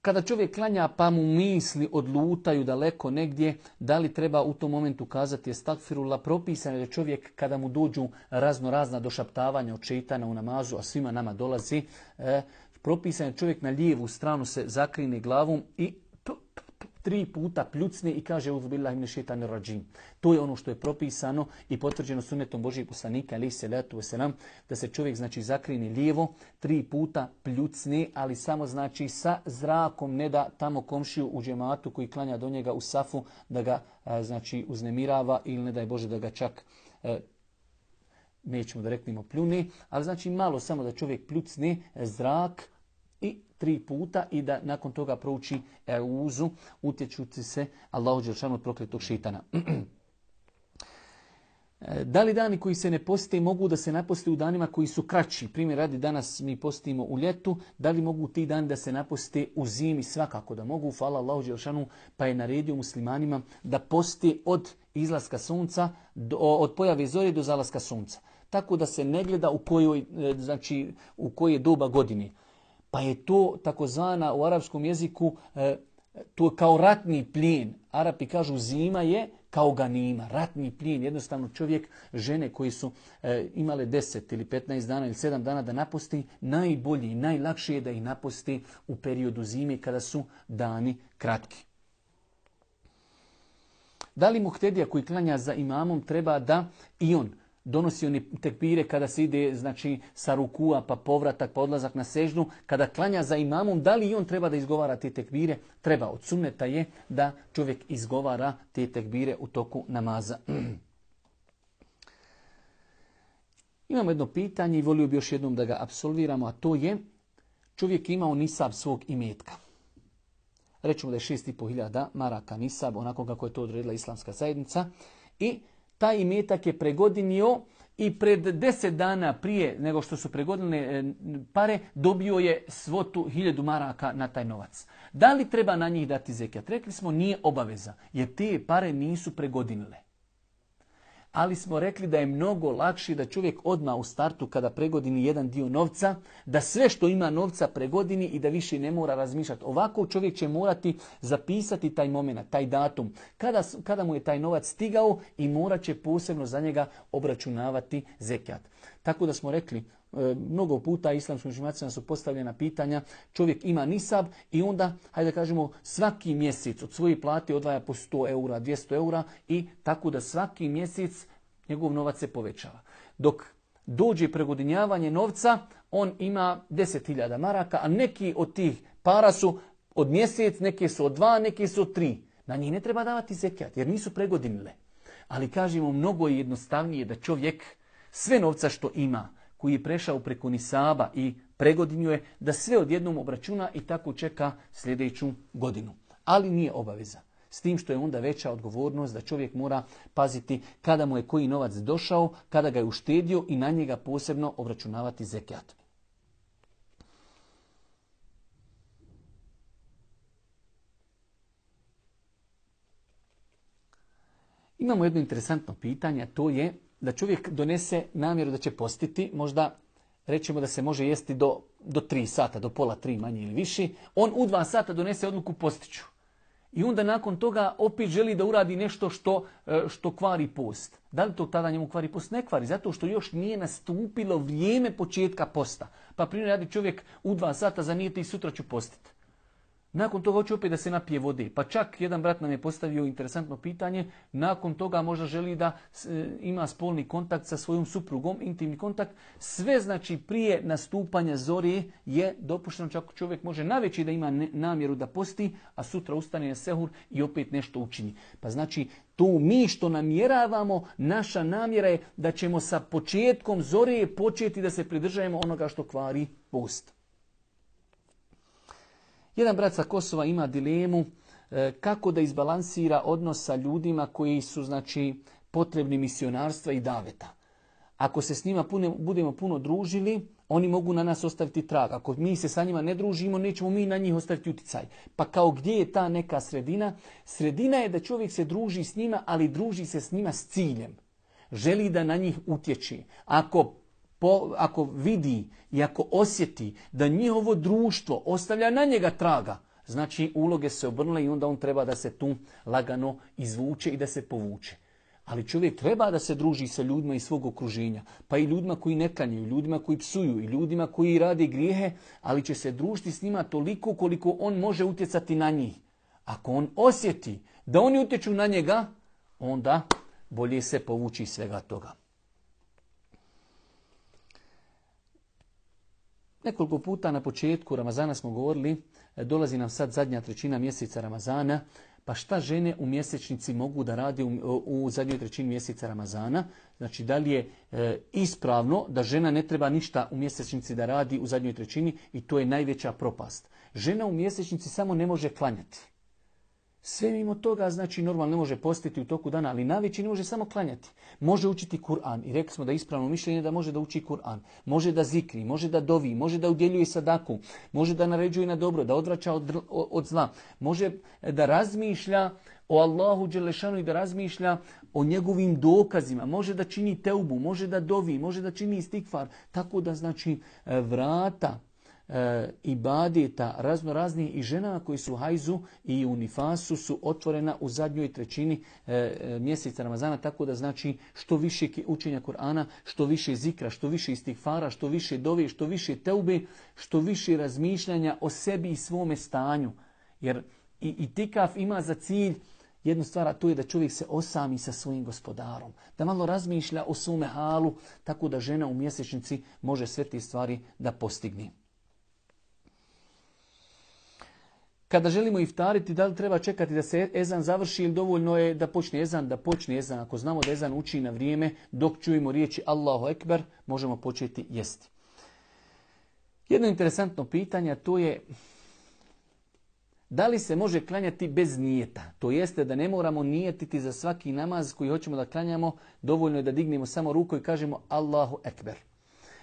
Kada čovjek klanja pa mu misli odlutaju daleko negdje, da li treba u tom momentu kazati estagfirullah? Propisano je da čovjek kada mu dođu razna došaptavanja od šejtana u namazu, a svima nama dolazi, propisan je čovjek na lijevu stranu se zakrine glavom i 3 puta pljucne i kaže Euzu billahi minaš šejtanir radžim. To je ono što je propisano i potvrđeno sunnetom Božijeg poslanika alejhi salatu vesselam, da se čovjek znači zakrine lijevo, 3 puta pljucne, ali samo znači sa zrakom, ne da tamo komšiju u džematu koji klanja do njega u safu da ga znači uznemirava ili ne daj Bože da ga čak nećemo da reknemo pljuni, ali znači malo samo da čovjek pljucne zrak i 3 puta i da nakon toga prouči euzu, utječući se Allahu dželešanu od prokletog šejtana. Da li dani koji se ne poste mogu da se naposte u danima koji su kraći? Primjer radi, danas mi postimo u ljetu, da li mogu ti dani da se naposte u zimi? Svakako da mogu, hvala Allahu dželešanu, pa je naredio muslimanima da poste od izlaska sunca, od pojave zore do zalaska sunca. Tako da se ne gleda u koje doba godine. Pa je to takozvana u arapskom jeziku, to je kao ratni plijen. Arapi kažu zima je kao ganima, ratni plijen. Jednostavno čovjek, žene koji su imale 10 ili 15 dana ili 7 dana da napusti, najbolji i najlakše je da ih napusti u periodu zime kada su dani kratki. Da li muhtedija koji klanja za imamom treba da i on donosi oni tekbire kada se ide sa rukua pa povratak pa odlazak na seždu, kada klanja za imamom, da li i on treba da izgovara te tekbire? Treba. Od sunneta je da čovjek izgovara te tekbire u toku namaza. Imamo jedno pitanje i volio bi još jednom da ga apsolviramo, a to je čovjek je imao nisab svog imetka. Rećemo da je 6.500 maraka nisab, onako kako je to odredila islamska zajednica, i taj imetak je pregodinio i pred 10 dana prije nego što su pregodine pare dobio je svotu 1000 maraka na taj novac. Da li treba na njih dati zekijat? Rekli smo nije obaveza jer te pare nisu pregodinile. Ali smo rekli da je mnogo lakše da čovjek odmah u startu kada pregodini jedan dio novca, da sve što ima novca pregodini i da više ne mora razmišljati. Ovako čovjek će morati zapisati taj moment, taj datum, kada mu je taj novac stigao i morat će posebno za njega obračunavati zekijat. Tako da smo rekli, mnogo puta islamskim učenjacima su postavljena pitanja, čovjek ima nisab i onda, hajde da kažemo, svaki mjesec od svoje plate odvaja po 100 eura, 200 eura i tako da svaki mjesec njegov novac se povećava. Dok dođe pregodinjavanje novca, on ima 10.000 maraka, a neki od tih para su od mjesec, neke su od 2, neke su od 3. Na njih ne treba davati zekijat jer nisu pregodinile. Ali kažemo, mnogo je jednostavnije da čovjek sve novca što ima, koji je prešao preko nisaba i pregodinio je, da sve odjednom obračuna i tako čeka sljedeću godinu. Ali nije obaveza. S tim što je onda veća odgovornost da čovjek mora paziti kada mu je koji novac došao, kada ga je uštedio i na njega posebno obračunavati zekijat. Imamo jedno interesantno pitanje, to je da čovjek donese namjeru da će postiti, možda rećemo da se može jesti do 3 sata, do pola 3 manje ili više, on u 2 sata donese odluku postiću. I onda nakon toga opet želi da uradi nešto što kvari post. Da li to tada njemu kvari post? Ne kvari, zato što još nije nastupilo vrijeme početka posta. Pa primjer radi čovjek u 2 sata zanijeti i sutra ću postiti. Nakon toga hoće opet da se napije vode. Pa čak jedan brat nam je postavio interesantno pitanje. Nakon toga možda želi da ima spolni kontakt sa svojom suprugom, intimni kontakt. Sve znači prije nastupanja zore je dopušteno, čak čovjek može naveći da ima namjeru da posti, a sutra ustane na sehur i opet nešto učini. Pa znači to mi što namjeravamo, naša namjera je da ćemo sa početkom zore početi da se pridržajemo onoga što kvari post. Jedan brat sa Kosova ima dilemu kako da izbalansira odnos sa ljudima koji su potrebni misionarstva i daveta. Ako se s njima budemo puno družili, oni mogu na nas ostaviti trag. Ako mi se sa njima ne družimo, nećemo mi na njih ostaviti utjecaj. Pa kao gdje je ta neka sredina? Sredina je da čovjek se druži s njima, ali druži se s njima s ciljem. Želi da na njih utječe. Ako vidi i ako osjeti da njihovo društvo ostavlja na njega traga, znači uloge se obrnule i onda on treba da se tu lagano izvuče i da se povuče. Ali čovjek treba da se druži sa ljudima iz svog okruženja, pa i ljudima koji ne klanjaju, ljudima koji psuju i ljudima koji rade grijehe, ali će se družiti s njima toliko koliko on može utjecati na njih. Ako on osjeti da oni utječu na njega, onda bolje se povući iz svega toga. Nekoliko puta na početku Ramazana smo govorili, dolazi nam sad zadnja trećina mjeseca Ramazana, pa šta žene u mjesečnici mogu da radi u zadnjoj trećini mjeseca Ramazana? Znači, da li je ispravno da žena ne treba ništa u mjesečnici da radi u zadnjoj trećini i to je najveća propast. Žena u mjesečnici samo ne može klanjati. Sve mimo toga, znači normalno ne može postiti u toku dana, ali navići ne može samo klanjati. Može učiti Kur'an i rekli smo da je ispravno mišljenje da može da uči Kur'an. Može da zikri, može da dovi, može da udjeljuje sadaku, može da naređuje na dobro, da odvraća od zla. Može da razmišlja o Allahu dželešanu i da razmišlja o njegovim dokazima. Može da čini teubu, može da dovi, može da čini istikfar. Tako da znači vrata ibadeta raznorazni i ženama koji su u hajzu i u nifasu su otvorena u zadnjoj trećini mjeseca Ramazana, tako da znači što više učenja Kur'ana, što više zikra, što više istigfara, što više dove, što više teube, što više razmišljanja o sebi i svome stanju. Jer i itikaf ima za cilj jednu stvar, a to je da čovjek se osami sa svojim gospodarom, da malo razmišlja o svome halu, tako da žena u mjesečnici može sve te stvari da postigne. Kada želimo iftariti, da li treba čekati da se ezan završi ili dovoljno je da počne ezan? Ako znamo da ezan uči na vrijeme, dok čujemo riječi Allahu Ekber, možemo početi jesti. Jedno interesantno pitanje, to je da li se može klanjati bez nijeta? To jeste da ne moramo nijetiti za svaki namaz koji hoćemo da klanjamo, dovoljno je da dignemo samo ruku i kažemo Allahu Ekber.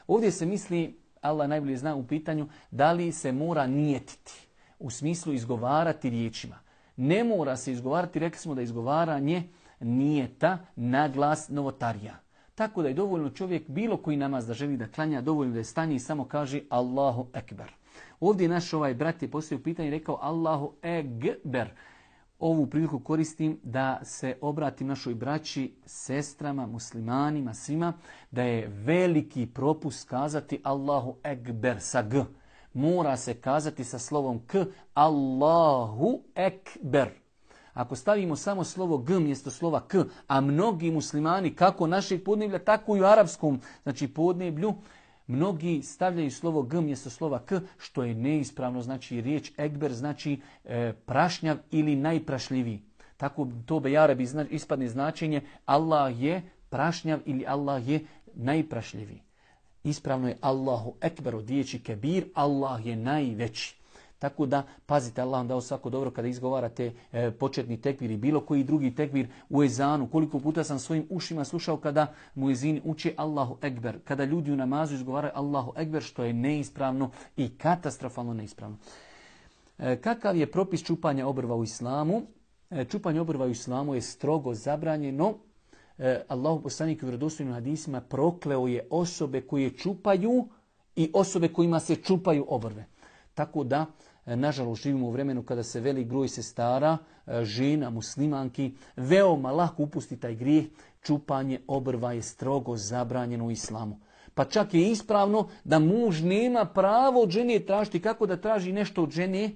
Ovdje se misli, Allah najbolje zna u pitanju, da li se mora nijetiti. U smislu izgovarati riječima. Ne mora se izgovarati, rekli smo da izgovaranje nijeta na glas novotarija. Tako da je dovoljno čovjek bilo koji namaz da želi da klanja, dovoljno da je stanje i samo kaže Allahu Ekber. Ovdje naš brat je postavio pitanje i rekao Allahu Ekber. Ovu priliku koristim da se obratim našoj braći, sestrama, muslimanima, svima, da je veliki propust kazati Allahu Ekber sa G. Mora se kazati sa slovom K, Allahu Ekber. Ako stavimo samo slovo G mjesto slova K, a mnogi muslimani, kako našeg podneblja, tako i u arapskom, znači podneblju, mnogi stavljaju slovo G mjesto slova K, što je neispravno, znači riječ Ekber znači prašnjav ili najprašljiviji. Tako to bejarabi ispadne značenje Allah je prašnjav ili Allah je najprašljiviji. Ispravno je Allahu Ekber od riječi kebir, Allah je najveći. Tako da pazite, Allah vam dao svako dobro kada izgovarate početni tekbir i bilo koji drugi tekbir u ezanu. Koliko puta sam svojim ušima slušao kada muezini uče Allahu Ekber, kada ljudi u namazu izgovaraju Allahu Ekber, što je neispravno i katastrofalno neispravno. Kakav je propis čupanja obrva u islamu? Čupanje obrva u islamu je strogo zabranjeno. Allahu poslanik u vjerodostojnim hadisima prokleo je osobe koje čupaju i osobe kojima se čupaju obrve. Tako da, nažalost, živimo u vremenu kada se velik broj sestara, žena, muslimanki, veoma lako upusti taj grijeh. Čupanje obrva je strogo zabranjeno u islamu. Pa čak je ispravno da muž nema pravo od žene tražiti kako da traži nešto od žene,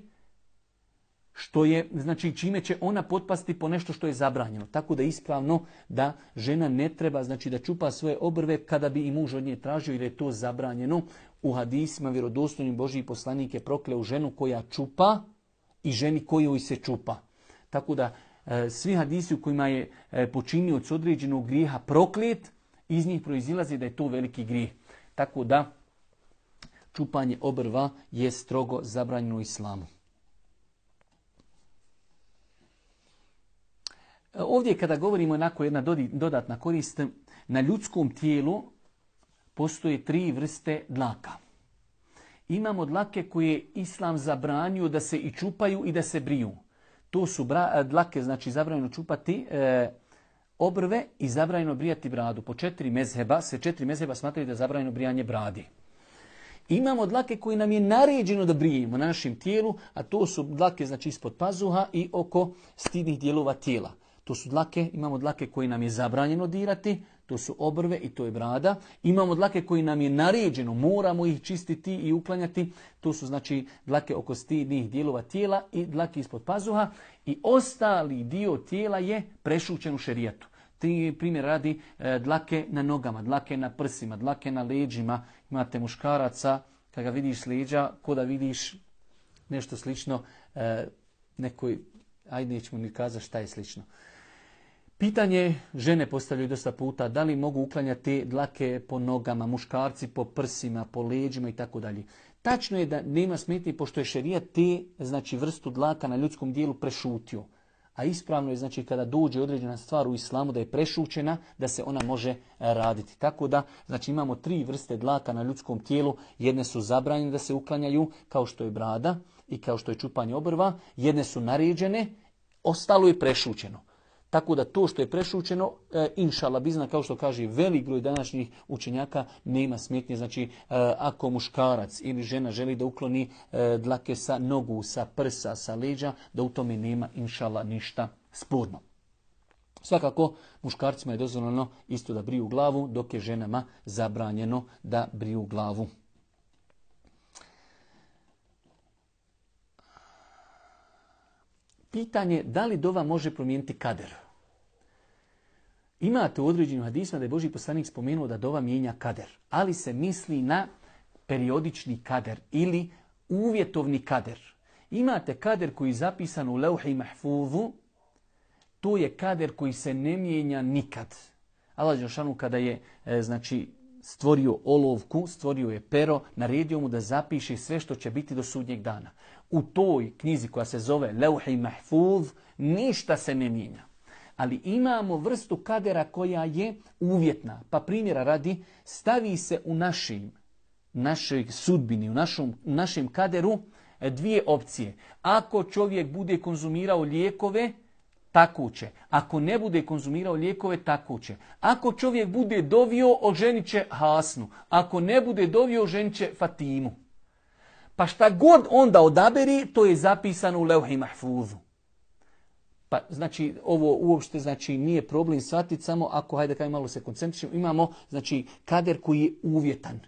što je, znači čime će ona potpasti po nešto što je zabranjeno. Tako da je ispravno da žena ne treba, znači da čupa svoje obrve kada bi i muž od nje tražio, jer je to zabranjeno. U hadisima vjerodostojnim Božji poslanik je prokleo ženu koja čupa i ženi kojoj se čupa. Tako da svi hadisi u kojima je počinioc određenog grijeha proklet, iz njih proizilazi da je to veliki grijeh. Tako da čupanje obrva je strogo zabranjeno u islamu. Ovdje kada govorimo onako jedna dodatna korist, na ljudskom tijelu postoje 3 vrste dlaka. Imamo dlake koje islam zabranio da se i čupaju i da se briju. To su dlake, znači zabranjeno čupati obrve i zabranjeno brijati bradu. Po 4 mezheba, se 4 mezheba smatraju da je zabranjeno brijanje bradi. Imamo dlake koje nam je naređeno da brijemo na našem tijelu, a to su dlake znači ispod pazuha i oko stidnih dijelova tijela. To su dlake, imamo dlake koje nam je zabranjeno dirati, to su obrve i to je brada. Imamo dlake koje nam je naređeno, moramo ih čistiti i uklanjati. To su znači dlake oko stidnih dijelova tijela i dlake ispod pazuha. I ostali dio tijela je prešućen u šerijatu. Primjer radi dlake na nogama, dlake na prsima, dlake na leđima. Imate muškaraca, kada ga vidiš s leđa, ko da vidiš nešto slično, nekoj, ajde nećemo ni kazati šta je slično. Pitanje žene postavljaju dosta puta, da li mogu uklanjati dlake po nogama, muškarci po prsima, po leđima i tako dalje. Tačno je da nema smetnje pošto je šerijat te, znači vrstu dlaka na ljudskom dijelu prešutio. A ispravno je znači kada dođe određena stvar u islamu da je prešućena, da se ona može raditi. Tako da znači imamo 3 vrste dlaka na ljudskom tijelu. Jedne su zabranjene da se uklanjaju kao što je brada i kao što je čupanje obrva. Jedne su naređene, ostalo je prešućeno. Tako da to što je prešućeno, inšala bizna, kao što kaže velik broj današnjih učenjaka, nema smetnje. Znači, ako muškarac ili žena želi da ukloni dlake sa nogu, sa prsa, sa leđa, da u tome nema, inšala, ništa sporno. Svakako, muškarcima je dozvoljeno isto da briju glavu, dok je ženama zabranjeno da briju glavu. Pitanje da li dova može promijeniti kader. Imate u određenim hadisima da je Božji poslanik spomenuo da dova mijenja kader, ali se misli na periodični kader ili uvjetovni kader. Imate kader koji je zapisan u Leuhi Mahfuzu, to je kader koji se ne mijenja nikad. Allah dželešanu kada je znači stvorio olovku, stvorio je pero, naredio mu da zapiše sve što će biti do sudnjeg dana. U toj knjizi koja se zove Leuhi Mahfuz ništa se ne mijenja. Ali imamo vrstu kadera koja je uvjetna. Pa primjera radi, stavi se u našoj sudbini, u našem kaderu 2 opcije. Ako čovjek bude konzumirao lijekove, tako će. Ako ne bude konzumirao lijekove, tako će. Ako čovjek bude dovio, oženit će Hasnu. Ako ne bude dovio, oženit će Fatimu. Pa šta god onda odaberi, to je zapisano u Leuhi Mahfuzu. Pa znači ovo uopšte znači nije problem shvatiti, samo ako hajde kaj malo se koncentrišemo, imamo znači kader koji je uvjetan.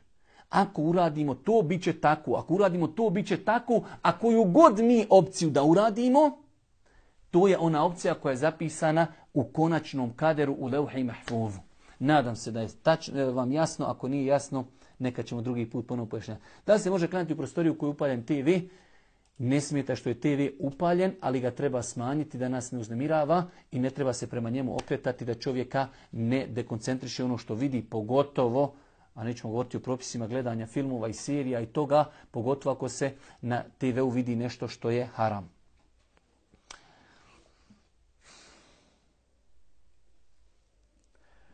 Ako uradimo to, bit će tako. Ako uradimo to, bit će tako. A koju god mi opciju da uradimo, to je ona opcija koja je zapisana u konačnom kaderu u Leuhi Mahfuzu. Nadam se da je vam jasno. Ako nije jasno, neka ćemo drugi put ponovno pojašnjati. Da li se može klanjati u prostoriju koju je upaljen TV? Ne smeta što je TV upaljen, ali ga treba smanjiti da nas ne uznemirava i ne treba se prema njemu okretati da čovjeka ne dekoncentriše ono što vidi, pogotovo, a nećemo govoriti o propisima gledanja filmova i serija i toga, pogotovo ako se na TV-u vidi nešto što je haram.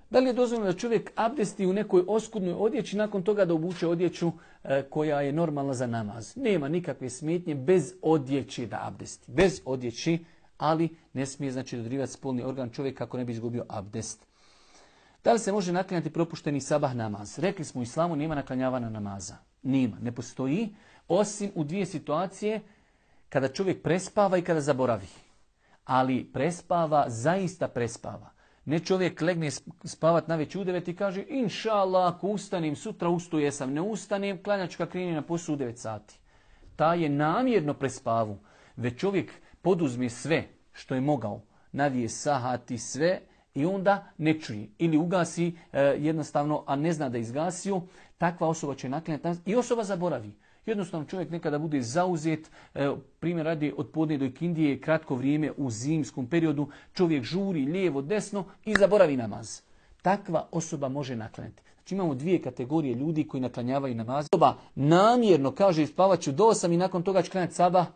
Da li je dozvoljeno da čovjek abdesti u nekoj oskudnoj odjeći, nakon toga da obuče odjeću koja je normalna za namaz? Nema nikakve smetnje bez odjeći da abdesti. Bez odjeći, ali ne smije znači dodirivati spolni organ čovjeka kako ne bi izgubio abdest. Da li se može naklanjati propušteni sabah namaz? Rekli smo u islamu nema naklanjavanja namaza. Nema, ne postoji, osim u 2 situacije, kada čovjek prespava i kada zaboravi. Ali prespava, zaista prespava. Ne čovjek legne spavat navečer u 9 i kaže inša Allah, ako ustanem, sutra ustaje sam, ne ustanem, klanjačka krene na posao u 9 sati. Ta je namjerno prespavu. Već čovjek poduzme sve što je mogao, navije sahati sve i onda ne čuje. Ili ugasi jednostavno, a ne zna da izgasio, takva osoba će naklanjati i osoba zaboravi. Jednostavno čovjek nekada bude zauzet, primjer radi od podne do ikindije, kratko vrijeme u zimskom periodu, čovjek žuri lijevo, desno i zaboravi namaz. Takva osoba može naklanjati. Znači imamo 2 kategorije ljudi koji naklanjavaju namaz. Osoba namjerno kaže spavat ću do 8 i nakon toga će klanjati sabah.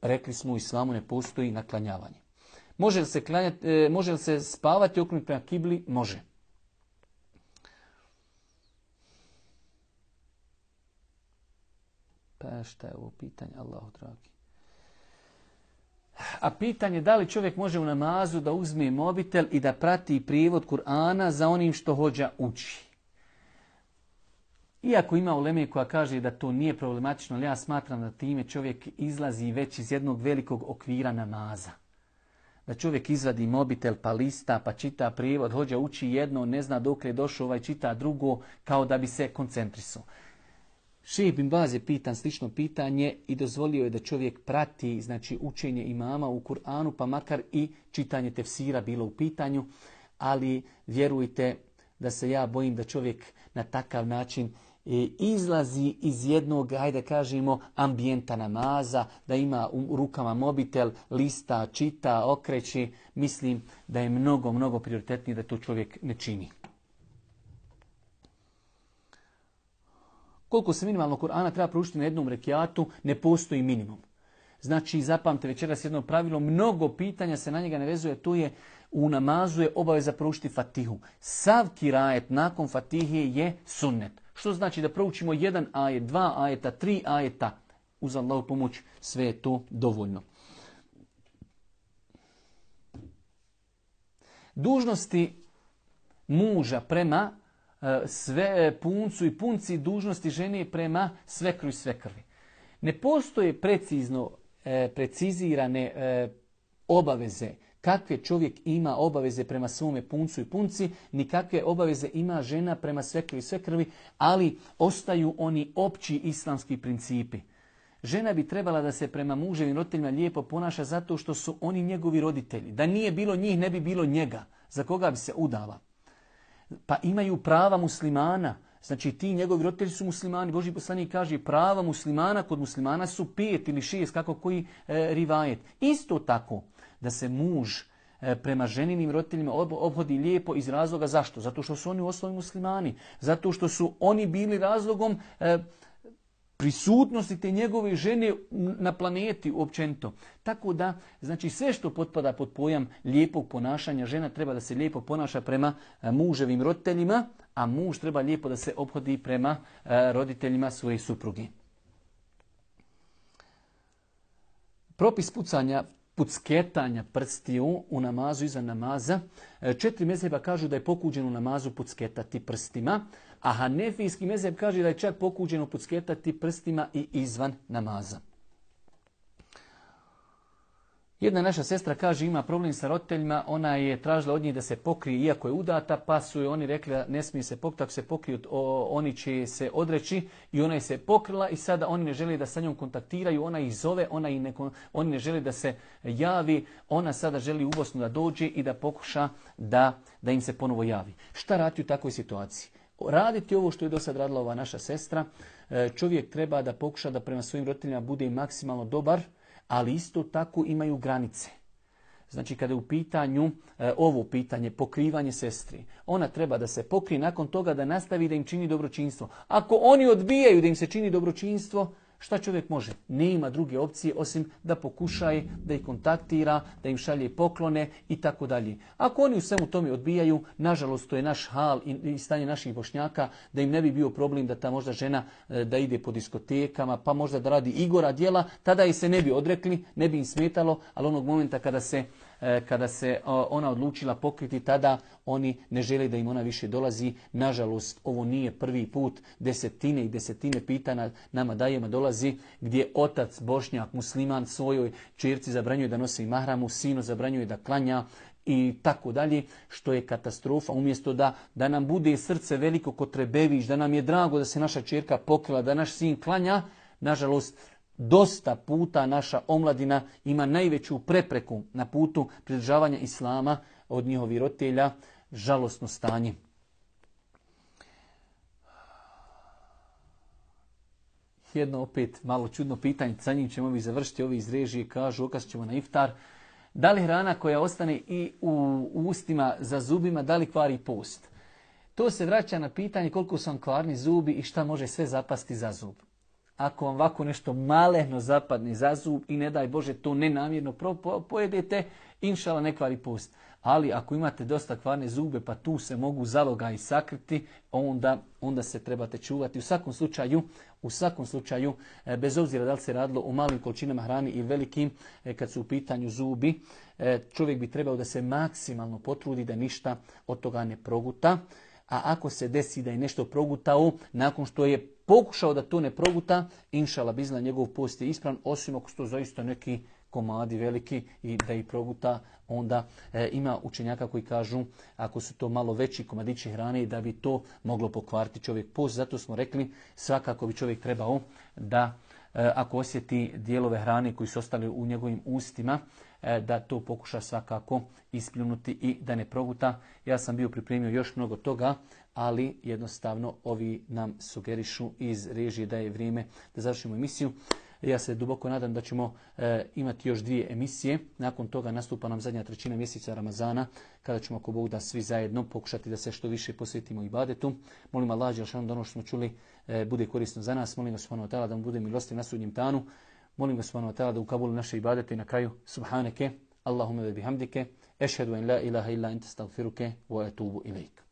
Rekli smo u islamu ne postoji naklanjavanje. Može li se spavati okrenuti prema kibli? Može. Pa šta je ovo pitanje, Allahu dragi? A pitanje da li čovjek može u namazu da uzme mobitel i da prati prijevod Kur'ana za onim što hođa uči. Iako ima uleme koja kaže da to nije problematično, ali ja smatram da time čovjek izlazi već iz jednog velikog okvira namaza. Da čovjek izvadi mobitel pa lista pa čita prijevod, hođa uči jedno, ne zna dokle je došao, čita drugo, kao da bi se koncentrisao. Šejh bin Baz je pitan slično pitanje i dozvolio je da čovjek prati znači učenje imama u Kur'anu, pa makar i čitanje tefsira bilo u pitanju, ali vjerujte da se ja bojim da čovjek na takav način izlazi iz jednog, hajde kažemo, ambijenta namaza, da ima u rukama mobitel, lista, čita, okreći. Mislim da je mnogo, mnogo prioritetnije da to čovjek ne čini. Koliko se minimalno Kur'ana treba proučiti na jednom rekiatu, ne postoji minimum. Znači, zapamte večeras jedno pravilo, mnogo pitanja se na njega ne vezuje, to je u namazu je obaveza proučiti Fatihu. Sav kirajet nakon Fatihe je sunnet. Što znači da proučimo 1 ajet, 2 ajeta, 3 ajeta. Uz Allahu pomoć sve je to dovoljno. Dužnosti muža prema sve puncu i punci, dužnosti žene prema svekru i svekrvi. Ne postoje precizirane obaveze kakve čovjek ima obaveze prema svome puncu i punci, ni kakve obaveze ima žena prema svekru i svekrvi, ali ostaju oni opći islamski principi. Žena bi trebala da se prema muževim roditeljima lijepo ponaša zato što su oni njegovi roditelji. Da nije bilo njih, ne bi bilo njega. Za koga bi se udala? Pa imaju prava muslimana. Znači ti njegovi roditelji su muslimani. Božji poslanik kaže prava muslimana kod muslimana su 5 ili 6, kako koji rivajet. Isto tako da se muž prema ženinim roditeljima obhodi lijepo iz razloga zašto? Zato što su oni u osnovi muslimani. Zato što su oni bili razlogom prisutnosti te njegove žene na planeti općenito. Tako da, znači sve što potpada pod pojam lijepog ponašanja, žena treba da se lijepo ponaša prema muževim roditeljima, a muž treba lijepo da se ophodi prema roditeljima svoje supruge. Propis pucketanja prstiju u namazu iza namaza. 4 mezheba kažu da je pokuđeno u namazu pucketati prstima, a hanefijski mezheb kaže da je čak pokuđeno pucketati prstima i izvan namaza. Jedna naša sestra kaže ima problem sa roditeljima, ona je tražila od njih da se pokrije iako je udata, pa su joj oni rekli da ne smije se pokriti, ako se pokriju oni će se odreći i ona je se pokrila i sada oni ne žele da sa njom kontaktiraju, ona ih zove, oni ne žele da se javi, ona sada želi u Bosnu da dođe i da pokuša da im se ponovo javi. Šta raditi u takvoj situaciji? Raditi ovo što je do sad radila ova naša sestra, čovjek treba da pokuša da prema svojim roditeljima bude maksimalno dobar, ali isto tako imaju granice. Znači kada je u pitanju ovo pitanje, pokrivanje sestri, ona treba da se pokrije, nakon toga da nastavi da im čini dobročinstvo. Ako oni odbijaju da im se čini dobročinstvo, šta čovjek može? Nema druge opcije osim da pokušaje, da ih kontaktira, da im šalje poklone i tako dalje. Ako oni u svemu tome odbijaju, nažalost to je naš hal i stanje naših Bošnjaka, da im ne bi bio problem da ta možda žena da ide po diskotekama, pa možda da radi igora djela, tada ih se ne bi odrekli, ne bi im smetalo, ali onog momenta kada se ona odlučila pokriti, tada oni ne žele da im ona više dolazi. Nažalost, ovo nije prvi put, desetine i desetine pitanja nama dajemo dolazi gdje otac Bošnjak, musliman svojoj ćerci zabranjuje da nosi mahramu, sinu zabranjuje da klanja i tako dalje, što je katastrofa. Umjesto da nam bude srce veliko kod Trebević, da nam je drago da se naša ćerka pokrila, da naš sin klanja, nažalost, dosta puta naša omladina ima najveću prepreku na putu pridržavanja islama od njihovih roditelja. Žalosno stanje. Jedno opet malo čudno pitanje, sa njim ćemo vi završiti, ovi iz režije kažu okasat ćemo na iftar. Da li hrana koja ostane i u ustima za zubima, da li kvari post? To se vraća na pitanje koliko su vam kvarni zubi i šta može sve zapasti za zub. Ako vam ovako nešto malehno zapadne za zub i ne daj Bože to nenamjerno pojedete, inšala ne kvari post. Ali ako imate dosta kvarne zube pa tu se mogu zalogaji sakriti, onda se trebate čuvati. U svakom slučaju, bez obzira da li se radilo o malim količinama hrani i velikim, kad su u pitanju zubi, čovjek bi trebao da se maksimalno potrudi da ništa od toga ne proguta. A ako se desi da je nešto progutao, nakon što je pokušao da to ne proguta, inšala bizna njegov post je ispravan, osim ako su to zaista neki komadi veliki i da ih proguta, onda ima učenjaka koji kažu ako su to malo veći komadići hrane da bi to moglo pokvariti čovjek post. Zato smo rekli svakako bi čovjek trebao da ako osjeti dijelove hrane koji su ostali u njegovim ustima, da to pokuša svakako ispljunuti i da ne proguta. Ja sam bio pripremio još mnogo toga, ali jednostavno ovi nam sugerišu iz režije da je vrijeme da završimo emisiju. Ja se duboko nadam da ćemo imati još 2 emisije. Nakon toga nastupa nam zadnja trećina mjeseca Ramazana, kada ćemo ako Bog da svi zajedno pokušati da se što više posvetimo ibadetu. Molim Allah dželešanu da ono što smo čuli bude korisno za nas. Molim vas subhanahu wa ta'ala da mu bude milostiv na sudnjem danu. Molim ga subhanahu wa ta'ala da ukabuli naše ibadete i na kraju subhaneke, Allahumma ve bihamdike, ešhedu en la ilaha illa ente astaghfiruke wa atubu ilaik.